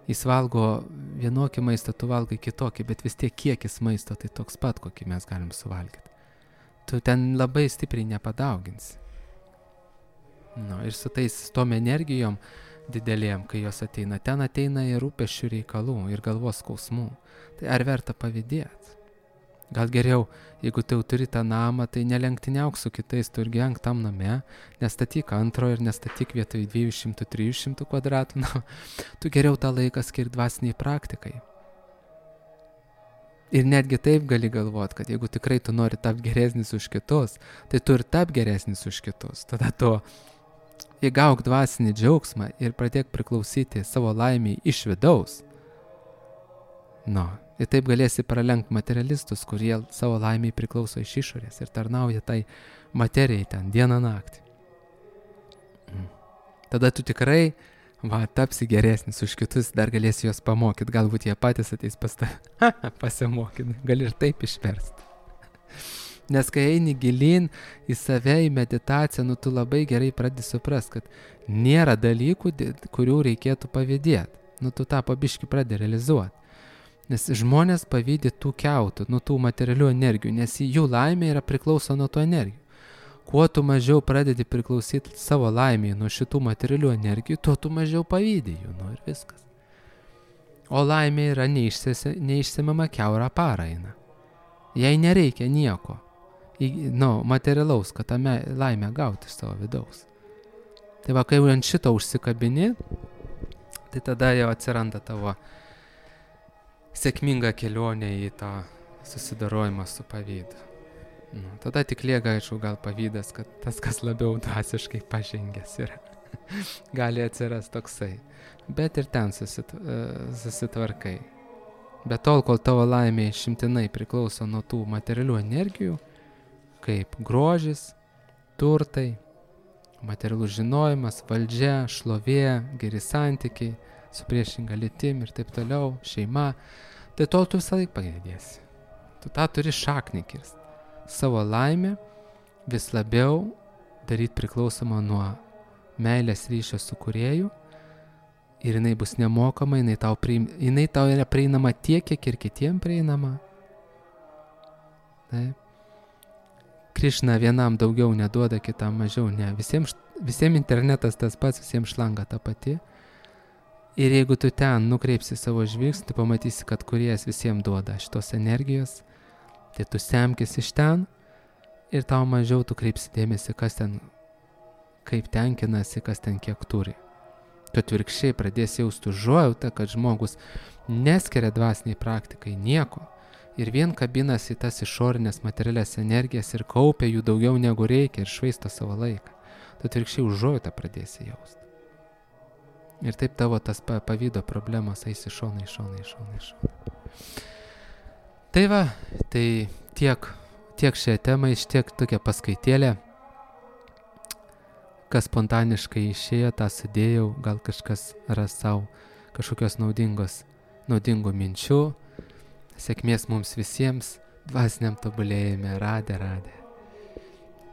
Jis valgo vienokį maistą, tu valgai kitokį, bet vis tiek kiekis maisto tai toks pat, kokį mes galim suvalgyti. Tu ten labai stipriai nepadauginsi. Ir su tom energijom didelėm, kai jos ateina, ten ateina ir rūpesčių reikalų, ir galvos skausmų. Tai ar verta pavydėti? Gal geriau, jeigu tu turi tą namą, tai nelenktyniauk su kitais, tu ir gyvenk tam name, nestatyk antro ir nestatyk vietoj 200-300 kvadratų. Tu geriau tą laiką skirk dvasiniai praktikai. Ir netgi taip gali galvoti, kad jeigu tikrai tu nori tapti geresnis už kitus, tai tu ir tap geresnis už kitus. Tada tu įgauk dvasinį džiaugsmą ir pradėk priklausyti savo laimiai iš vidaus. Ir taip galėsi pralenkti materialistus, kurie savo laimiai priklauso iš išorės ir tarnauja tai materijai ten dieną naktį. Tada tu tikrai tapsi geresnis už kitus, dar galėsi juos pamokyti, galbūt jie patys ateis pas tave pasimokyti, gali ir taip išversti. Nes kai eini gilin į save, į meditaciją, tu labai gerai pradedi suprasti, kad nėra dalykų, kurių reikėtų pavydėti. Tu tą pabiškį pradedi realizuoti. Nes žmonės pavydi tų kiautų, tų materialių energijų, nes jų laimė yra priklauso nuo tų energijų. Kuo tu mažiau pradedi priklausyti savo laimėje nuo šitų materialių energijų, tuo tu mažiau pavydi jų, ir viskas. O laimė yra neišsemama kiaurą parą eina. Jai nereikia nieko, materialaus, kad tą laimę gauti iš savo vidaus. Tai kai ant šito užsikabini, tai tada jau atsiranda tavo sėkminga kelionė į tą susidarojimą su pavydu. Tada tik lieka, aišku, gal pavydas, kad tas, kas labiau dvasiškai pažengęs yra, gali atsiras toksai. Bet ir ten susitvarkai. Bet tol, kol tavo laimė išimtinai priklauso nuo tų materialių energijų, kaip grožis, turtai, materialus žinojimas, valdžia, šlovė, geri santykiai, su priešinga lytim ir taip toliau, šeima, tai tol tu visą laiką pagėdėsi. Tu tą turi šaknį kirsti. Savo laimę vis labiau daryti priklausomą nuo meilės ryšio su kūrėju ir jinai bus nemokama, jinai tau yra prieinama tiek, kiek ir kitiem prieinama. Taip. Krišna vienam daugiau neduoda, kitam mažiau, ne. Visiems internetas tas pats, visiems šlanga ta pati. Ir jeigu tu ten nukreipsi savo žvilgsnį, tu pamatysi, kad Kūrėjas visiems duoda šitos energijos, tai tu semkis iš ten ir tau mažiau tu kreipsi dėmesį, kas ten, kaip tenkinasi, kas ten kiek turi. Tu atvirkščiai pradėsi jausti užuojautą, kad žmogus neskiria dvasiniai praktikai nieko ir vien kabinasi į tas išorinės materialias energijas ir kaupia jų daugiau negu reikia ir švaisto savo laiką. Tu atvirkščiai užuojautą pradėsi jausti. Ir taip tavo tas pavydo problemos eis iš šoną. Tai va, tai tiek šią temą, tiek tokia paskaitėlė. Kas spontaniškai išėjo, tą sudėjau, gal kažkas ras savo kažkokios naudingų minčių. Sėkmės mums visiems dvasiniam tobulėjime. Radė.